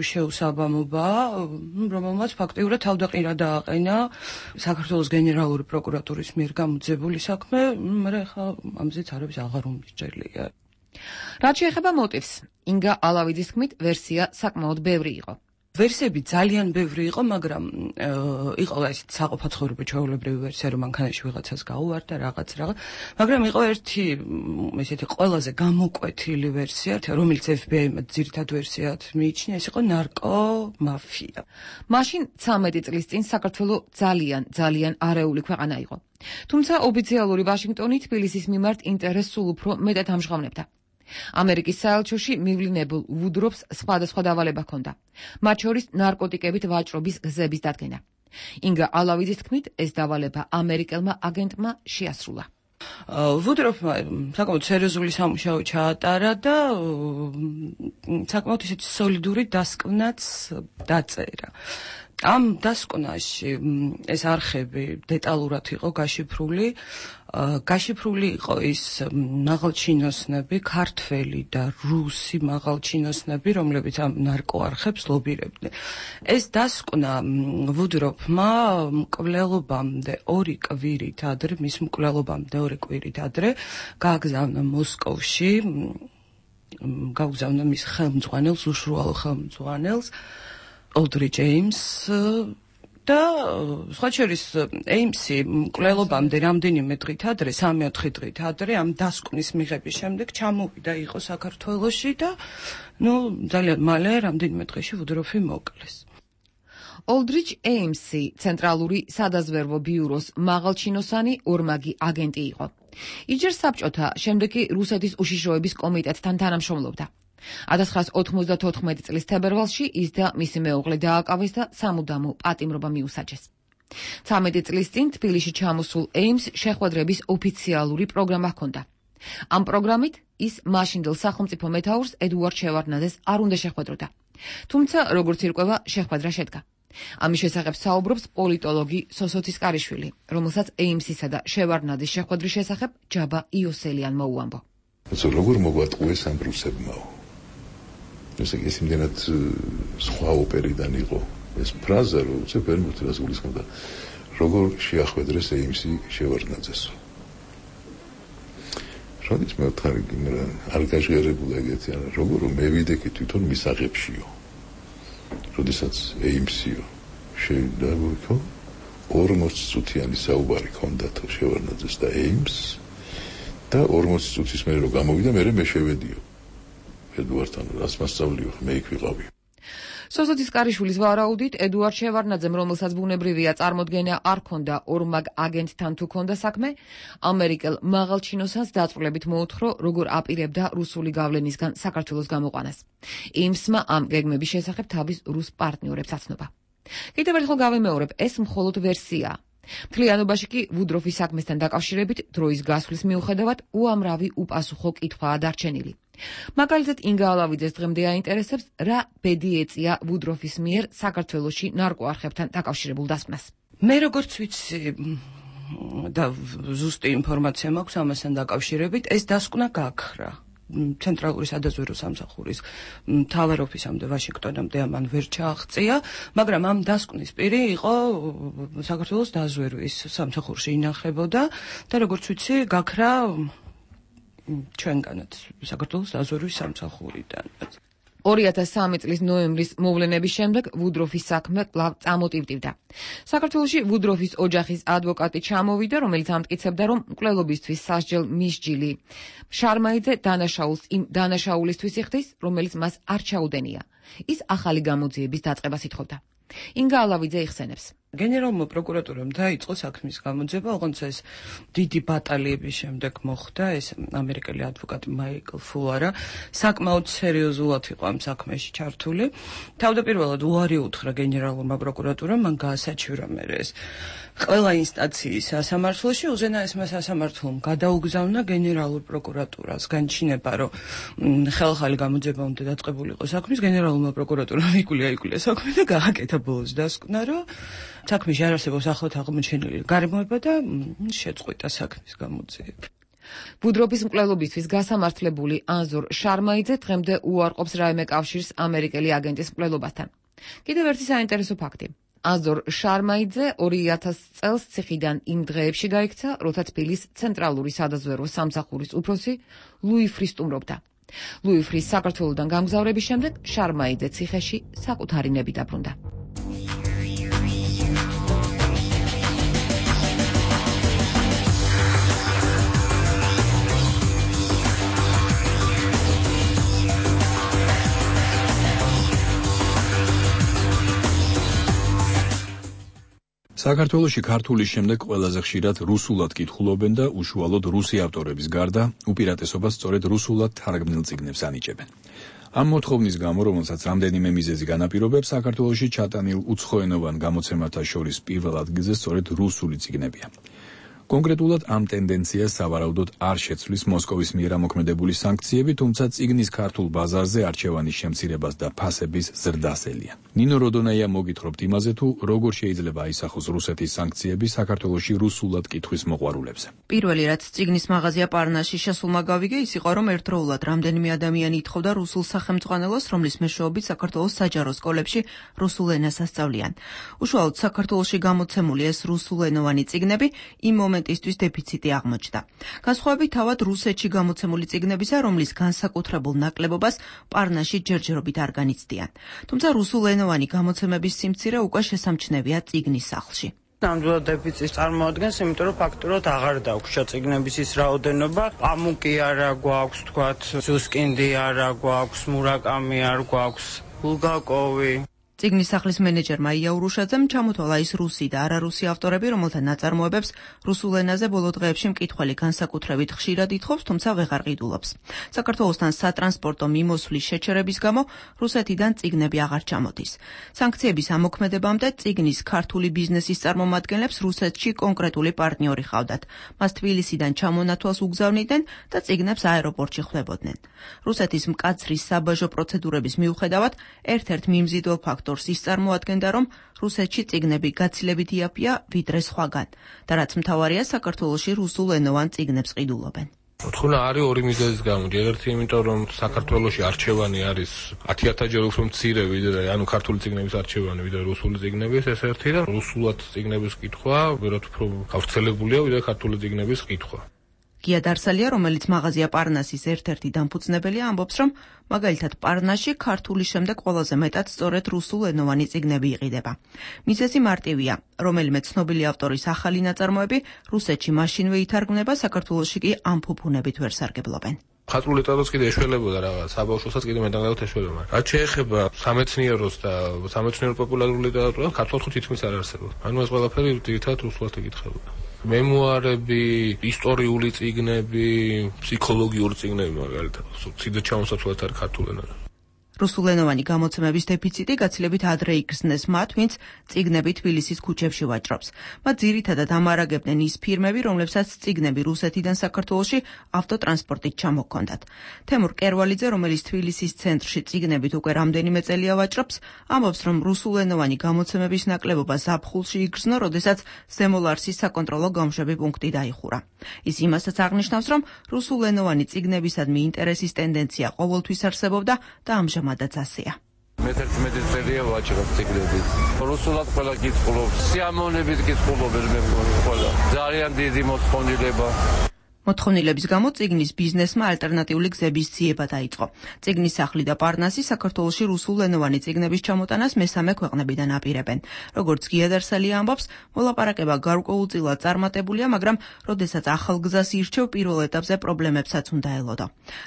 შეუსაბამობაა, რომელმაც ფაქტიურად თავდაყირა დააყენა საქართველოს გენერალური პროკურატურის მიერ გამოძიებული საქმე, მაგრამ ხა ამზეც არაფერს აღარ უმსჯელია. რაც შეეხება მოტივს, ინგა ალავიძის თქმით, ვერსია საკმაოდ ბევრი იყო. ვერსიები ძალიან ბევრი იყო, მაგრამ იყო ეს საყოფაცხოვრებო ჩვეულებრივი ვერსია, რომ მანქანაში ვიღაცას გაუვარდა რაღაც რაღაც, მაგრამ იყო ერთი ესეთი ყველაზე გამოკვეთილი ვერსია, რომელიც ეფ ბი აიმ ძირითად ვერსიად მიიჩნია, ეს იყო ნარკო მაფია. მაშინ ცამეტი წლის წინ საქართველო ძალიან, ძალიან არეული ქვეყანა იყო. თუმცა ოფიციალური ვაშინგტონი თბილისის მიმართ ინტერესს სულ უფრო მეტად ამჟღავნებდა. ამერიკის საელჩოში მივლინებულ ვუდროფს სხვადასხვა დავალება ჰქონდა. მათ შორის ნარკოტიკებით ვაჭრობის გზების დადგენა. ინგა ალავიძის თქმით, ეს დავალება ამერიკელმა აგენტმა შეასრულა. ვუდროფმა საკმაოდ სერიოზული სამუშაო ჩაატარა და საკმაოდ ისეთი სოლიდური დასკვნაც დაწერა. ამ დასკვნაში ეს არხები დეტალურად იყო გაშიფრული. გაშიფრული იყო ის მაღალჩინოსნები, ქართველი და რუსი მაღალჩინოსნები, რომლებიც ამ ნარკოარხებს ლობირებდნენ. ეს დასკვნა ვუდროფმა მკვლელობამდე ორი კვირით ადრე, მის მკვლელობამდე ორი კვირით ადრე გააგზავნა მოსკოვში, გააგზავნა მის ხელმძღვანელს, უშუალო ხელმძღვანელს, Aldrich Ames და სხვა შორის ეიმსი მკვლელობამდე რამდენიმე დღით ადრე, სამი-ოთხი დღით ადრე ამ დასკვნის მიღების შემდეგ ჩამოვიდა იყო საქართველოში და ნუ ძალიან მალე რამდენიმე დღეში ვუდროფი მოკლეს. Aldrich Amesი ცენტრალური სადაზვერვო ბიუროს მაღალჩინოსანი ორმაგი აგენტი იყო. იჯერ საბჭოთა, შემდეგ კი რუსეთის უშიშროების კომიტეტთან თანამშრომლობდა. ათას ცხრაას ოთხმოცდათოთხმეტი წლის თებერვალში ის და მისი მეუღლე დააკავეს და სამუდამო პატიმრობა მიუსაჯეს. ცამეტი წლის წინ თბილისში ჩამოსულ ეიმს შეხვედრების ოფიციალური პროგრამა ჰქონდა. ამ პროგრამით ის მაშინდელ სახელმწიფო მეთაურს ედუარდ შევარდნაძეს არ უნდა შეხვედროდა. თუმცა, როგორც ირკვევა, შეხვედრა შედგა. ამის შესახებ საუბრობს პოლიტოლოგი სოსო ცისკარიშვილი, რომელსაც ეიმსისა და შევარდნაძის შეხვედრის შესახებ ჯაბა იოსელიანმა უამბო. როგორ მოგვატყუეს ამ რუსებმაო? ეს ის იმდენად სხვა ოპერიდან იყო ეს ფრაზა, რომ უცებ ვერ მოწევს გულისხმობდა, როგორ შეახვედრეს ეიმსი შევარდნაძეს. როდის მე ვთქარი, არ გაჟღერებულა ეგეთი, ან როგორ მე ვიდექი თვითონ მისაღებშიო. როდესაც ეიმსიო შევიდაგო ორმოცი წუთიანი საუბარი ჰქონდათ შევარდნაძეს და ეიმს და ორმოცი წუთის მერე რომ გამოვიდა, მერე მე შევედიო. ედუარდთან რას მასწავლიო, მე იქ ვიყავი. სოსო ცისკარიშვილის ვარაუდით, ედუარდ შევარდნაძემ, რომელსაც ბუნებრივია წარმოდგენა არ ჰქონდა ორმაგ აგენტთან თუ ჰქონდა საქმე, ამერიკელ მაღალჩინოსანს დაწვრილებით მოუთხრო, როგორ აპირებდა რუსული გავლენისგან საქართველოს გამოყვანას. იმსმა ამ გეგმების შესახებ თავის რუს პარტნიორებს აცნობა. კიდევ ერთხელ გავიმეორებ, ეს მხოლოდ ვერსიაა. მთლიანობაში კი ვუდროფის საქმესთან დაკავშირებით დროის გასვლის მიუხედავად უამრავი უპასუხო კითხვაა დარჩენილი. მაგალითად, ინგა ალავიძეს დღემდე აინტერესებს, რა ბედი ეწია ვუდროფის მიერ საქართველოში ნარკოარხებთან დაკავშირებულ დასკვნას. მე როგორც ვიცი და ზუსტი ინფორმაცია მაქვს ამასთან დაკავშირებით, ეს დასკვნა გაქრა. ცენტრალური სადაზვერვო სამსახურის მთავარ ოფისამდე ვაშინგტონამდე ამან ვერ ჩააღწია, მაგრამ ამ დასკვნის პირი იყო საქართველოს დაზვერვის სამსახურში ინახებოდა და როგორც ვიცი, გაქრა ჩვენგანაც საქართველოს დაზვერვის სამსახურიდან. ორი ათას სამი წლის ნოემბრის მოვლენების შემდეგ ვუდროფის საქმე კვლავ წამოტივტივდა. საქართველოში ვუდროფის ოჯახის ადვოკატი ჩამოვიდა, რომელიც ამტკიცებდა, რომ მკვლელობისთვის სასჯელ მისჯილი შარმაიძე დანაშაულს იმ დანაშაულისთვის იხდის, რომელიც მას არ ჩაუდენია. ის ახალი გამოძიების დაწყებას ითხოვდა. ინგა ალავიძე იხსენებს. გენერალურმა პროკურატურამ დაიწყო საქმის გამოძიება, ოღონდ ეს დიდი ბატალიების შემდეგ მოხდა, ეს ამერიკელი ადვოკატი მაიკლ ფულარა საკმაოდ სერიოზულად იყო ამ საქმეში ჩართული. თავდაპირველად უარი უთხრა გენერალურმა პროკურატურამ, მან გაასაჩივრა მერე ეს ყველა ინსტანციის სასამართლოში, უზენაესმა სასამართლომ გადაუგზავნა გენერალურ პროკურატურას, განჩინება, რომ ხელახალი გამოძიება უნდა დაწყებულიყო საქმის, გენერალურმა პროკურატურამ იკვლია იკვლია საქმე და გააკეთა ბოლოს დასკვნა, რომ საქმეში არ არსებობს ახლად აღმოჩენილი გარემოება და შეწყვიტა საქმის გამოძიება. ვუდროფის მკვლელობისთვის გასამართლებული ანზორ შარმაიძე დღემდე უარყოფს რაიმე კავშირს ამერიკელი აგენტის მკვლელობასთან. კიდევ ერთი საინტერესო ფაქტი. ანზორ შარმაიძე ორი ათას წელს ციხიდან იმ დღეებში გაიქცა, როცა თბილისის ცენტრალური სადაზვერვო სამსახურის უფროსი ლუი ფრი სტუმრობდა. ლუი ფრის საქართველოდან გამგზავრების შემდეგ შარმაიძე ციხეში საკუთარი ნები დაბრუნდა. საქართველოში ქართულის შემდეგ ყველაზე ხშირად რუსულად კითხულობენ და უშუალოდ რუსი ავტორების გარდა უპირატესობას სწორედ რუსულად თარგმნილ წიგნებს ანიჭებენ. ამ მოთხოვნის გამო, რომელსაც რამდენიმე მიზეზი განაპირობებს, საქართველოში ჩატანილ უცხოენოვან გამოცემათა შორის პირველ ადგილზე სწორედ რუსული წიგნებია. კონკრეტულად ამ ტენდენციას სავარაუდოდ არ შეცვლის მოსკოვის მიერ ამოქმედებული სანქციები, თუმცა წიგნის ქართულ ბაზარზე არჩევანის შემცირებას და ფასების ზრდას ელიან. ნინო როდონაია მოგითხრობთ იმაზე, თუ როგორ შეიძლება აისახოს რუსეთის სანქციები საქართველოში რუსულად კითხვის მოყვარულებზე. პირველი რაც წიგნის მაღაზია პარნაში შესულმა გავიგე, ის იყო, რომ ერთდროულად რამდენიმე ადამიანი ითხოვდა რუსულ სახელმძღვანელოს, რომლის მეშვეობით საქართველოს საჯარო სკოლებში რუსულ ენას ასწავლიან. უშუალოდ საქართველოში გამოცემული ეს რუსულენოვანი წიგნები იმ მომენტისთვის დეფიციტი აღმოჩნდა. განსხვავებით თავად რუსეთში გამოცემული წიგნებისა, რომლის განსაკუთრებულ ნაკლებობას პარნაში ჯერჯერობით არ განიცდიან. თუმცა რუსულენოვანი გამოცემების სიმცირე უკვე შესამჩნევია წიგნის სახლში. ნამდვილად დეფიციტს წარმოადგენს, იმიტომ რომ ფაქტურად აღარ დაგვჭირდა წიგნების ის რაოდენობა. პამუკი არა გვაქვს, თქვათ, ზუსკინდი არა გვაქვს, მურაკამი არ გვაქვს, ბულგაკოვი. წიგნის სახლის მენეჯერმა იაურუშაძემ ჩამოთვალა ის რუსი და არარუსი ავტორები, რომელთა ნაწარმოებებს რუსულ ენაზე ბოლო დღეებში მკითხველი განსაკუთრებით ხშირად ითხოვს, თუმცა ვეღარ ყიდულობს. საქართველოსთან სატრანსპორტო მიმოსვლის შეჩერების გამო რუსეთიდან წიგნები აღარ ჩამოდის. სანქციების ამოქმედებამდე წიგნის ქართული ბიზნესის წარმომადგენლებს რუსეთში კონკრეტული პარტნიორი ჰყავდათ. მას თბილისიდან ჩამონათვალს უგზავნიდნენ და წიგნებს აეროპორტში ხვდებოდნენ. რუსეთის მკაცრი საბაჟო პროცედურების მიუხედავად, ერთ-ერთ მიმზიდველ ფაქტორს ის წარმოადგენდა, რომ რუსეთში წიგნები გაცილებით იაფია ვიდრე სხვაგან და რაც მთავარია, საქართველოში რუსულენოვან წიგნებს ყიდულობენ. მოთხოვნა არის ორი მიზეზის გამო. ერთი იმიტომ, რომ საქართველოში არჩევანი არის ათი ათასჯერ უფრო მცირე ვიდრე, ანუ ქართული წიგნების არჩევანი ვიდრე რუსული წიგნების, ეს ერთი და რუსულად წიგნების კითხვა ვერათ უფრო გავრცელებულია ვიდრე ქართული წიგნების კითხვა. გია დარსალია, რომელიც მაღაზია პარნასის ერთ-ერთი დამფუძნებელია, ამბობს, რომ მაგალითად პარნასში ქართული შემდეგ ყველაზე მეტად სწორედ რუსულენოვანი წიგნები იყიდება. მიზეზი მარტივია, რომელიმე ცნობილი ავტორის ახალი ნაწარმოები რუსეთში მაშინვე ითარგმნება, საქართველოში კი ამ ფუფუნებით ვერ სარგებლობენ. ხალხური ლიტერატურაც კიდე ეშველებოდა რაღაც, საბავშვოსაც კიდე მეტად ეშველება. რაც შეეხება სამეცნიეროს და სამეცნიერო პოპულარული ლიტერატურას, ქართულად თითქმის არ არსებობს. ანუ ეს ყველაფერი ძირითადად რუსულად იკითხება. მემუარები, ისტორიული წიგნები, ფსიქოლოგიური წიგნები მაგალითად, ცივი ჩამოსაცვლად არის ქართულ ენაზე. რუსულენოვანი გამოცემების დეფიციტი გაცილებით ადრე იგრძნეს მათ, ვინც წიგნები თბილისის ქუჩებში ვაჭრობს. მათ ძირითადად ამარაგებდნენ ის ფირმები, რომლებსაც წიგნები რუსეთიდან საქართველოში ავტოტრანსპორტით ჩამოჰქონდათ. თემურ კერვალიძე, რომელიც თბილისის ცენტრში წიგნებით უკვე რამდენიმე წელია ვაჭრობს, ამბობს, რომ რუსულენოვანი გამოცემების ნაკლებობა ზაფხულში იგრძნო, როდესაც ზემოლარსის საკონტროლო გამშვები პუნქტი დაიხურა. ის იმასაც აღნიშნავს, რომ რუსულენოვანი წიგნებისადმი ინტერესის ტენდენცია ყოველთვის არსებობდა და ამჟამად მადაც ასეა. მეთერთმეტი წელია ვაჭრობ წიგნებით. რუსულად ყველა კითხულობს, სიამოვნებით კითხულობენ მე ყველა. ძალიან დიდი მოთხოვნილება. მოთხოვნილების გამო წიგნის ბიზნესმა ალტერნატიული გზების ძიება დაიწყო. წიგნის სახლი და პარნასი საქართველოში რუსულენოვანი წიგნების ჩამოტანას მესამე ქვეყნებიდან აპირებენ. როგორც გია დარსალია ამბობს, მოლაპარაკება გარკვეულწილად წარმატებულია, მაგრამ როდესაც ახალ გზას ირჩევ, პირველ ეტაპზე პრობლემებსაც უნდა ელოდო.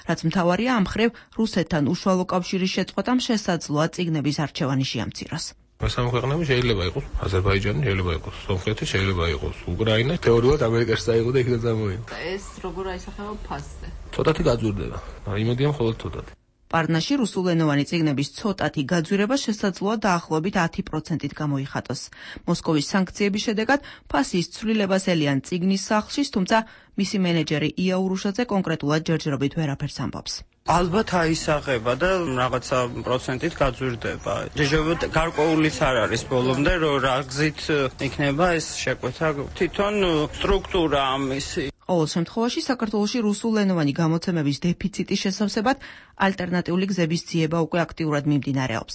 რაც მთავარია, ამ მხრივ რუსეთთან უშუალო კავშირის შეწყვეტამ შესაძლოა წიგნების არჩევანი შეამციროს. მესამე ქვეყნები შეიძლება იყოს აზერბაიჯანი, შეიძლება იყოს სომხეთი, შეიძლება იყოს უკრაინა, თეორიულად ამერიკაში დაიღო და იქიდან წამოიღო. ეს როგორ აისახება ფასზე? ცოტათი გაძვირდება. იმედია მხოლოდ ცოტათი. პარნაში რუსულენოვანი წიგნების ცოტათი გაძვირება შესაძლოა დაახლოებით ათი პროცენტით გამოიხატოს. მოსკოვის სანქციების შედეგად ფასის ცვლილებას ელიან წიგნის სახლში, თუმცა მისი მენეჯერი იაურუშაძე კონკრეტულად ჯერჯერობით ვერაფერს ამბობს. ალბათ აისახება და რაღაცა პროცენტით გაძვირდება. ჯერჯერობით გარკვეულიც არ არის ბოლომდე, რომ რა გზით იქნება ეს შეკვეთა. თვითონ სტრუქტურა ამისი. ყოველ შემთხვევაში საქართველოში რუსულენოვანი გამოცემების დეფიციტის შესავსებად ალტერნატიული გზების ძიება უკვე აქტიურად მიმდინარეობს.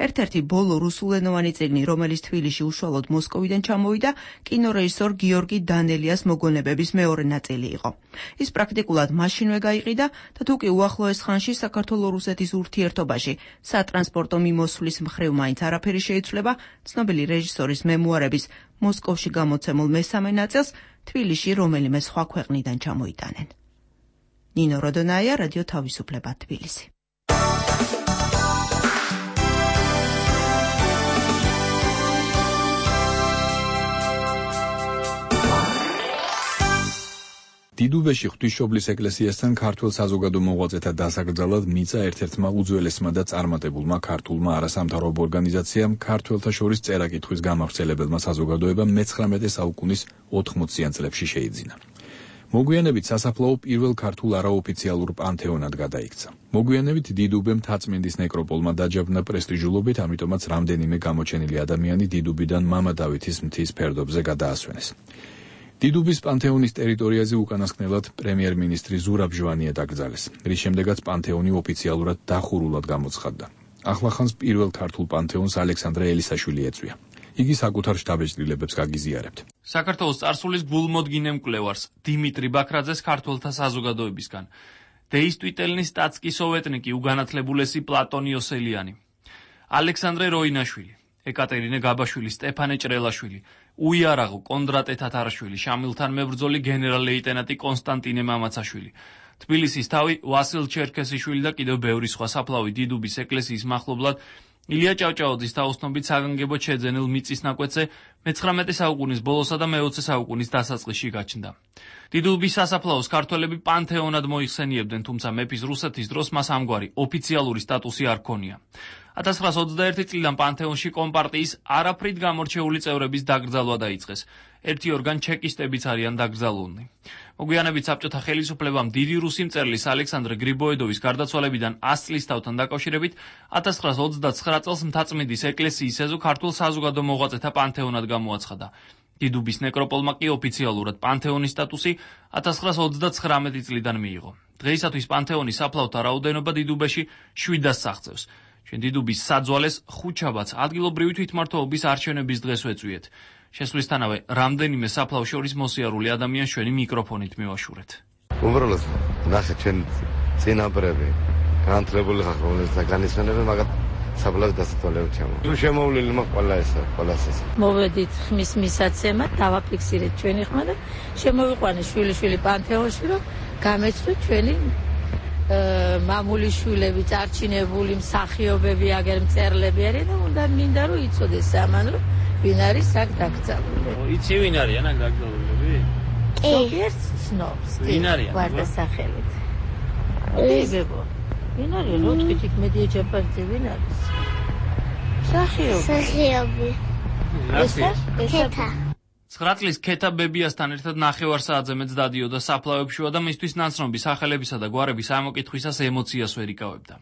ერთ-ერთი ბოლო რუსულენოვანი წიგნი, რომელიც თბილისში უშუალოდ მოსკოვიდან ჩამოვიდა, კინორეჟისორ გიორგი დანელიას მოგონებების მეორე ნაწილი იყო. ის პრაქტიკულად მაშინვე გაიყიდა და თუ კი უახლოეს ხანში საქართველო-რუსეთის ურთიერთობაში სატრანსპორტო მიმოსვლის მხრივ მაინც არაფერი შეიცვლება, ცნობილი რეჟისორის მემუარების მოსკოვში გამოცემულ მესამე ნაწილს თბილისში რომელიმე სხვა ქვეყნიდან ჩამოიტანენ. ნინო როდონაია, რადიო თავისუფლება, თბილისი. დიდუბეში ღვთისმშობლის ეკლესიასთან ქართულ საზოგადო მოღვაწეთა დასაკრძალად მიწა ერთ-ერთმა უძველესმა და წარმატებულმა ქართულმა არასამთავრობო ორგანიზაციამ ქართველთა შორის წერა-კითხვის გამავრცელებელმა საზოგადოებამ მეცხრამეტე საუკუნის ოთხმოციან წლებში შეიძინა. მოგვიანებით სასაფლაო პირველ ქართულ არაოფიციალურ პანთეონად გადაიქცა. მოგვიანებით დიდუბემ თაწმინდის ნეკროპოლმა დაჯავნა პრესტიჟულობით, ამიტომაც რამდენიმე გამოჩენილი ადამიანი დიდუბიდან მამა დავითის მთის ფერდობზე გადაასვენეს. დიდუბის პანთეონის ტერიტორიაზე უკანასკნელად პრემიერ-მინისტრი ზურაბ ჟვანია დაკრძალეს, რის შემდეგაც პანთეონი ოფიციალურად დახურულად გამოცხადდა. ახლახანს პირველ ქართულ პანთეონს ალექსანდრე ელისაშვილი ეწვია. იგი საკუთარ შთაბეჭდილებებს გაგიზიარებთ. საქართველოს წარსულის გულმოდგინე მკვლევარს დიმიტრი ბაქრაძეს ქართველთა საზოგადოებისგან, დეისტვიტელნის სტატსკი სოვეტნიკი უგანათლებულესი პლატონი ოსელიანი, ალექსანდრე როინაშვილი, ეკატერინე გაბაშვილი, სტეფანე ჭრელაშვილი, უიარაღო კონდრატე თათარაშვილი, შამილთან მებრძოლი გენერალ-ლეიტენანტი კონსტანტინე მამაცაშვილი, თბილისის თავი ვასილ ჩერქესიშვილი და კიდევ ბევრი სხვა საფლავი დიდუბის ეკლესიის მახლობლად ილია ჭავჭაოძის თაოსნობით საგანგებოდ შეძენილ მიწის ნაკვეთზე მეცხრამეტე საუკუნის ბოლოსა და მეოცე საუკუნის დასაწყისში გაჩნდა. დიდუბის სასაფლაოს ქართველები პანთეონად მოიხსენიებდნენ, თუმცა მეფის რუსეთის დროს მას ამგვარი ოფიციალური სტატუსი არ ჰქონია. ათას ცხრაას ოცდაერთი წლიდან პანთეონში კომპარტიის არაფრით გამორჩეული წევრების დაკრძალვა დაიწყეს. ერთი ორგან ჩეკისტებიც არიან დაკრძალულნი. მოგვიანებით საბჭოთა ხელისუფლებამ დიდი რუსი მწერლის ალექსანდრე გრიბოედოვის გარდაცვალებიდან ას წლის თავთან დაკავშირებით ათას ცხრაას ოცდაცხრა წელს მთაწმინდის ეკლესიის ეზო ქართულ საზოგადო მოღვაწეთა პანთეონად გამოაცხადა. დიდუბის ნეკროპოლმა კი ოფიციალურად პანთეონის სტატუსი ათას ცხრაას ოცდაცხრამეტი წლიდან მიიღო. დღეისათვის პანთეონის საფლავთა რაოდენობა დიდუბეში შვიდას აღწევს. ჩვენ დიდუბის საძვალეს ხუთშაბათს ადგილობრივი თვითმმართველობის არჩევნების დღეს ვეწვიეთ. შესვლისთანავე რამდენიმე საფლავ შორის მოსიარული ადამიანს ჩვენი მიკროფონით მივაშურეთ. უბრალოდ ნახე ჩვენ წინაპრები განათლებული ხალხი რომელსაც განისვენებენ, მაგრამ საფლავის დასათვალიერებლად ჩემო. შემოვლილი მაქვს ყველა ესა, ყველა ეს. მოვედით ხმის მისაცემად, დავაფიქსირეთ ჩვენი ხმა და შემოვიყვანეს შვილიშვილი პანთეონში, რომ გამეცვლით ჩვენი მამული შვილები, წარჩინებული მსახიობები, აგერ მწერლები არიან და უნდა მინდა რომ იცოდეს ამან რომ ვინ არის აქ დაკრძალული. იცი ვინ არიან აქ დაკრძალულები? ზოგიერთ ცნობს. ვინ არიან? ვარდასახელით. ებებო. ვინ არის? რო თქვით იქ მედია ჯაფარიძე ვინ არის? მსახიობი. მსახიობი. ესა? ესა? ცხრა წლის ქეთა ბებიასთან ერთად ნახევარ საათზე მეც დადიოდა საფლავებშივა და მისთვის ნაცნობი სახელებისა და გვარების ამოკითხვისას ემოციას ვერ იკავებდა.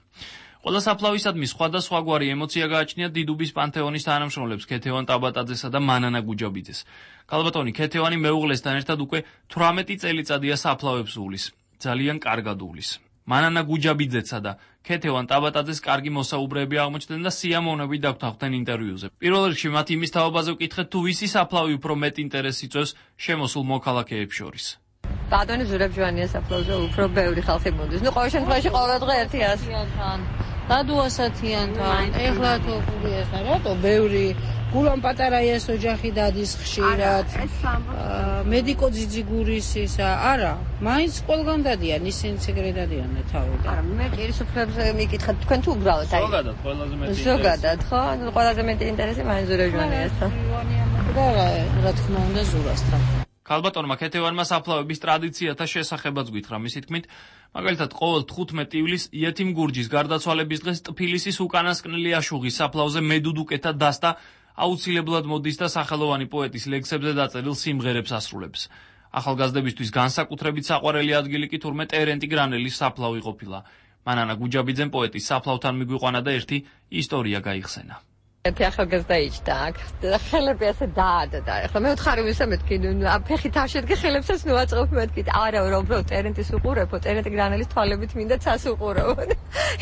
ყველა საფლავისადმი სხვადასხვაგვარი ემოცია გააჩნია დიდუბის პანთეონის თანამშრომლებს ქეთევან ტაბატაძესა და მანანა გუჯაბიძეს. ქალბატონი ქეთევანი მეუღლესთან ერთად უკვე თვრამეტი წელიწადია საფლავებს უვლის, ძალიან კარგად უვლის. მანანა გუჯაბიძეცა და ქეთევან ტაბატაძეს კარგი მოსაუბრეები აღმოჩნდნენ და სიამოვნებით დაგვთანხმდნენ ინტერვიუზე. პირველ რიგში მათ იმის თაობაზე ვკითხეთ, თუ ვისი საფლავი უფრო მეტ ინტერესს იწვევს შემოსულ მოქალაქეებს შორის. ბატონი ზურაბ ჟვანიას საფლავზე უფრო ბევრი ხალხი მოდის. ნუ ყოველ შემთხვევაში ყოველ დღე ერთი ასი დადუასათიანთან, ეხლა თუ ხულიასთან, რატო ბევრი გულან პატარაიას ოჯახი დადის ხშირად. მედიკო ძიძიგურის ისა, არა, მაინც ყველგან დადიან, ისინიც ეგრე დადიან თავიდან. არა, მე პირისუფლებზე მიკითხეთ, თქვენ თუ უბრალოდ აი. ზოგადად ყველაზე მეტი ინტერესი. ზოგადად, ხო? ნუ ყველაზე მეტი ინტერესი მაინც ზურაბ ჟვანიასთან. და რა თქმა უნდა ზურასთან. ქალბატონმა ქეთევანმა საფლავების ტრადიციათა შესახებაც გითხრა, მისი თქმით, მაგალითად ყოველ თხუთმეტი ივლისს იეთიმ გურჯის გარდაცვალების დღეს ტფილისის უკანასკნელი აშუღის საფლავზე მედუდუკეთა დასტა აუცილებლად მოდის და სახელოვანი პოეტის ლექსებზე დაწერილ სიმღერებს ასრულებს. ახალგაზრდებისთვის განსაკუთრებით საყვარელი ადგილი კი თურმე ტერენტი გრანელის საფლავი ყოფილა. მანანა გუჯაბიძემ პოეტის საფლავთან მიგვიყვანა და ერთი ისტორია გაიხსენა. ერთი ახალგაზრდა იჯდა აქ და ხელები ასე დაადდა. ეხლა მე ვთხარი ვისა მეთქი, ფეხი თავში შედგე ხელებსაც ნუ აწყობ მეთქი. არა, რა უბრალოდ ტერენტის უყურებო, ტერენტი გრანელის თვალებით მინდა ცას უყურებო.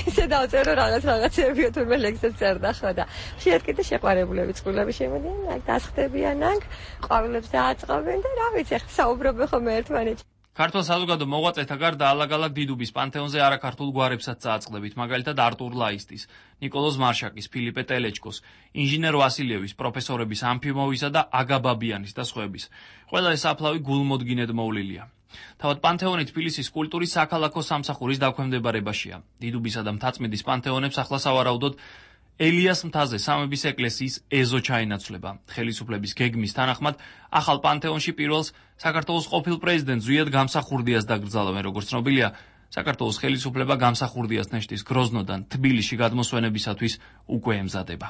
ისე დავწერო რაღაც რაღაცები, თურმე ლექსებს წერდა ხო და შეიძლება კიდე შეყვარებულები წყვილები შემოდიან, აქ დასხდებიან აქ, ყვავილებს დააწყობენ და რა ვიცი, ახლა საუბრობენ ხოლმე ერთმანეთში. ქართულ საზოგადო მოღვაწეთა გარდა ალაგ-ალაგ დიდუბის პანთეონზე არაქართულ გვარებსაც წააწყდებით, მაგალითად არტურ ლაისტის, ნიკოლოზ მარშაკის, ფილიპე ტელეჩკოს, ინჟინერ ვასილევის, პროფესორების ამფიმოვისა და აგა ბაბიანის და სხვების. ყველა ეს საფლავი გულმოდგინედ მოვლილია. თავად პანთეონი თბილისის კულტურის საქალაქო სამსახურის დაქვემდებარებაშია. დიდუბისა და მთაწმინდის პანთეონებს ახლა სავარაუდოდ ელიას მთაზე სამების ეკლესიის ეზო ჩაინაცვლება. ხელისუფლების გეგმის თანახმად ახალ პანთეონში პირველს საქართველოს ყოფილ პრეზიდენტ ზვიად გამსახურდიას დაკრძალავენ, როგორც ცნობილია. საქართველოს ხელისუფლება გამსახურდიას ნეშტის გროზნოდან თბილისში გადმოსვენებისათვის უკვე ემზადება.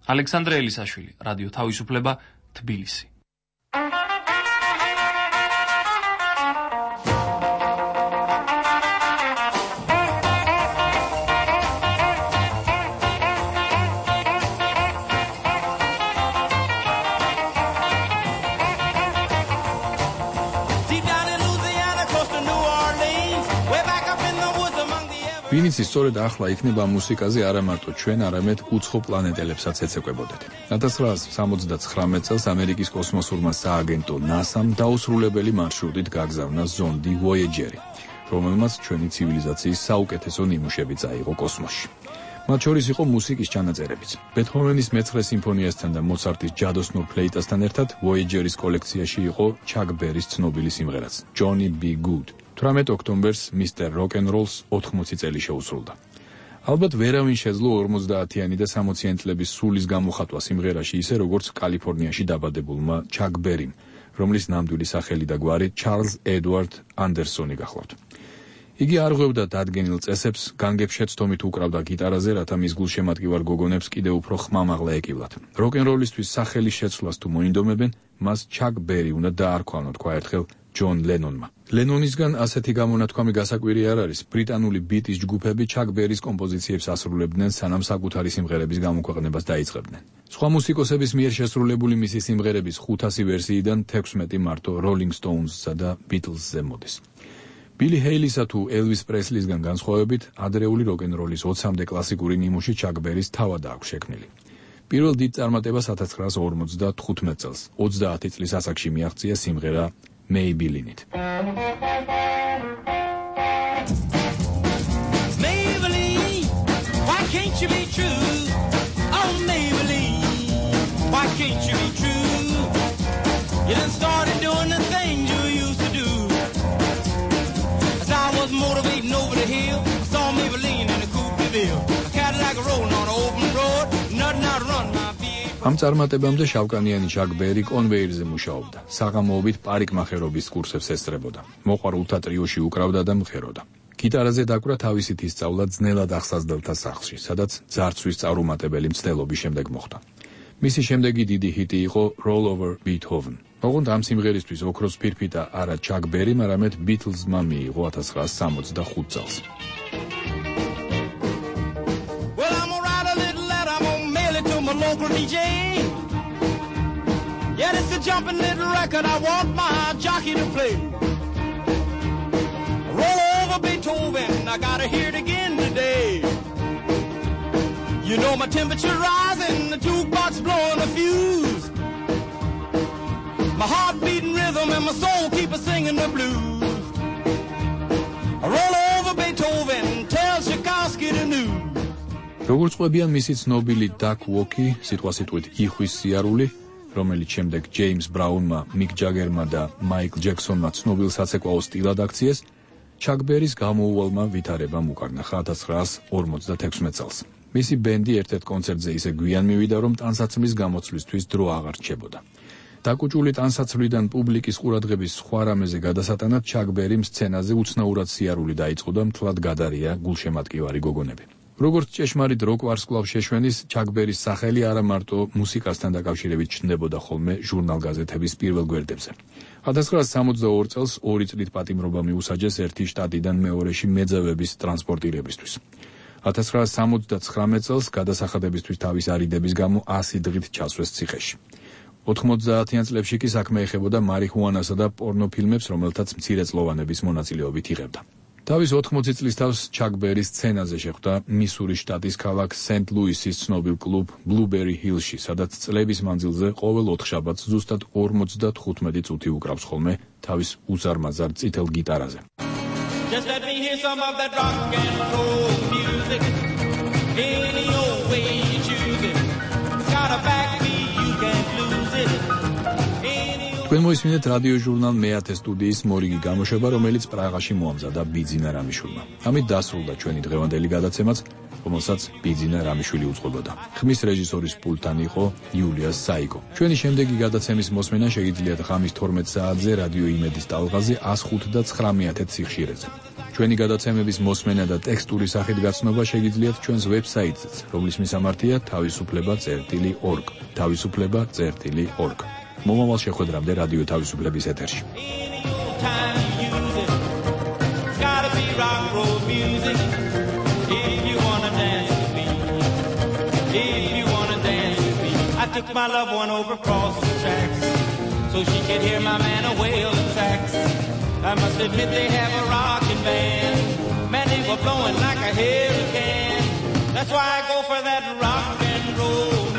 ალექსანდრე ელისაშვილი, რადიო თავისუფლება, თბილისი. ვინიცი სწორედ ახლა იქნება მუსიკაზე არა მარტო ჩვენ, არამედ უცხო პლანეტელებსაც ეცეკვებოდეთ. ოქროს ცხრაას სამოცდაცხრამეტ წელს ამერიკის კოსმოსურმა სააგენტო ნასამ დაუსრულებელი მარშრუტით გაგზავნა ზონდი ვოიეჯერი, რომელმაც ჩვენი ცივილიზაციის საუკეთესო ნიმუშები წაიღო კოსმოსში. მათ შორის იყო მუსიკის ჩანაწერებიც. ბეთჰოვენის მეცხრე სიმფონიასთან და მოცარტის ჯადოსნურ ფლეიტასთან ერთად ვოიეჯერის კოლექციაში იყო ჩაკ ბერის ცნობილი სიმღერაც Johnny B. Good. თვრამეტ ოქტომბერს მისტერ როკ-ენ-როლს ოთხმოცი წელი შეუსრულდა. ალბათ ვერავინ შეძლო ორმოცდაათიანი და სამოციანი წლების სულის გამოხატვა სიმღერაში ისე როგორც კალიფორნიაში დაბადებულმა ჩაკ ბერიმ, რომლის ნამდვილი სახელი და გვარი ჩარლზ ედვარდ ანდერსონი გახლავთ. იგი არ ღვევდა დადგენილ წესებს, განგებს შეცდომით უკრავდა გიტარაზე, რათა მის გულშემატკივარ გოგონებს კიდევ უფრო ხმამაღლა ეკივლათ. როკ-ენ-როლისთვის სახელის შეცვლას თუ მოინდომებენ, მას ჩაკ ბერი უნდა დაარქვანო, თქვა ერთხელ ჯონ ლენონმა. ლენონისგან ასეთი გამონათქვამი გასაკვირი არ არის. ბრიტანული ბიტის ჯგუფები ჩაკ ბერის კომპოზიციებს ასრულებდნენ, სანამ საკუთარი სიმღერების გამოქვეყნებას დაიწყებდნენ. სხვა მუსიკოსების მიერ შესრულებული მისი სიმღერების ხუთასი ვერსიიდან თექვსმეტი მარტო როლინგ სტოუნზსა და ბიტლზზე მოდის. ბილი ჰეილისა თუ ელვის პრესლისგან განსხვავებით, ადრეული როკ-ენ-როლის ოცამდე კლასიკური ნიმუში ჩაკ ბერის თავად აქვს შექმნილი. პირველ დიდ წარმატებას ათას ცხრაას ორმოცდათხუთმეტ წელს, ოცდაათი წლის ასაკში მიაღწია სიმღერა Maybelline. Maybelline, why can't you be true? Oh Maybelline, why can't you be true? You done started doing the things you used to do. As I was motivating over the hill, I saw Maybelline in a coupe de ville. A Cadillac rolling on an open road, nothing out to run my ამ წარმატებამდე შავკანიანი ჩაკ ბერი კონვეიერზე მუშაობდა. საღამოობით პარიკმახერობის კურსებს ესწრებოდა. მოყვარულთა ტრიოში უკრავდა და მღეროდა. გიტარაზე დაკვრა თავისი თის სწავლა ძნელად ახსაზდელთა სახლში, სადაც ძარცვის წარუმატებელი მცდელობის შემდეგ მოხდა. მისი შემდეგი დიდი ჰიტი იყო Roll Over Beethoven. ოღონდ ამ სიმღერისთვის ოქროს ფირფიტა არა ჩაკ ბერიმ, არამედ ბიტლზმა მიიღო ათას ცხრაას სამოცდახუთ წელს. Local D J. Yeah, it's a jumping little record I want my jockey to play. Roll over Beethoven, I gotta hear it again today. You know my temperature rising, the jukebox blowing a fuse. My heart beating rhythm and my soul keep a singing the blues. Roll over Beethoven, tell Tchaikovsky the news. როგორც ყვებიან მისი ცნობილი Duck Walk-ი, სიტყვასიტყვით იხვის სიარული, რომელიც შემდეგ ჯეიმს ბრაუნმა, მიკ ჯაგერმა და მაიკლ ჯექსონმა ცნობილ საცეკვაო სტილად აქციეს, ჩაკ ბერის გამოუვალმა ვითარებამ უკარნახა ათას ცხრაას ორმოცდათექვსმეტ წელს. მისი ბენდი ერთ-ერთ კონცერტზე ისე გვიან მივიდა, რომ ტანსაცმლის გამოცვლისთვის დრო აღარ რჩებოდა. დაკუჭული ტანსაცმლიდან პუბლიკის ყურადღების სხვა რამეზე გადასატანად ჩაკ ბერიმ სცენაზე უცნაურად სიარული დაიწყო და მთლად გადარია გულშემატკივარი გოგონები. როგორც ჭეშმარიტ როკ ვარსკვლავს შეშვენის, ჩაკ ბერის სახელი არა მარტო მუსიკასთან დაკავშირებით ჩნდებოდა ხოლმე ჟურნალ-გაზეთების პირველ გვერდებზე. ათას ცხრაას სამოცდაორი წელს ორი წლით პატიმრობა მიუსაჯეს ერთი შტატიდან მეორეში მეძავების ტრანსპორტირებისთვის. ათას ცხრაას სამოცდაცხრამეტ წელს გადასახადებისთვის თავის არიდების გამო ასი დღით ჩასვეს ციხეში. ოთხმოცდაათიან წლებში კი საქმე ეხებოდა მარიხუანასა და პორნოფილმებს, რომელთაც მცირეწლოვანების მონაწილეობით იღებდა. თავის ოთხმოცი წლის თავს ჩაკ ბერი სცენაზე შეხვდა მისურის შტატის ქალაქ სენტ-ლუისის ცნობილ კლუბ ბლუბერი ჰილში, სადაც წლების მანძილზე ყოველ ოთხშაბათს ზუსტად ორმოცდათხუთმეტი წუთი უკრავს ხოლმე თავის უზარმაზარ წითელ გიტარაზე. Just let me hear some of that rock and roll music. Any old way you choose it. It's got a backbeat, you can't lose it. თქვენ მოისმინეთ რადიო ჟურნალ მეათე სტუდიის მორიგი გამოშვება, რომელიც პრაღაში მოამზადა ბიძინა რამიშვილმა. ამით დასრულდა ჩვენი დღევანდელი გადაცემაც. რომელსაც ბიძინა რამიშვილი უძღვებოდა. ხმის რეჟისორის პულტთან იყო იულია საიკო. ჩვენი შემდეგი გადაცემის მოსმენა შეგიძლიათ ღამის თორმეტ საათზე რადიო იმედის ტალღაზე one oh five და nine one one სიხშირეზე. ჩვენი გადაცემების მოსმენა და ტექსტური სახით გაცნობა შეგიძლიათ ჩვენს ვებსაიტზეც, რომლის მისამართია თავისუფლება წერტილი org. თავისუფლება წერტილი org. მომავალ შეხვედრამდე რადიო თავისუფლების ეთერში. I took my loved one over across the tracks so she could hear my man a wailing sax. I must admit they have a rockin' band. Man, they were blowing like a hurricane. That's why I go for that rock and roll.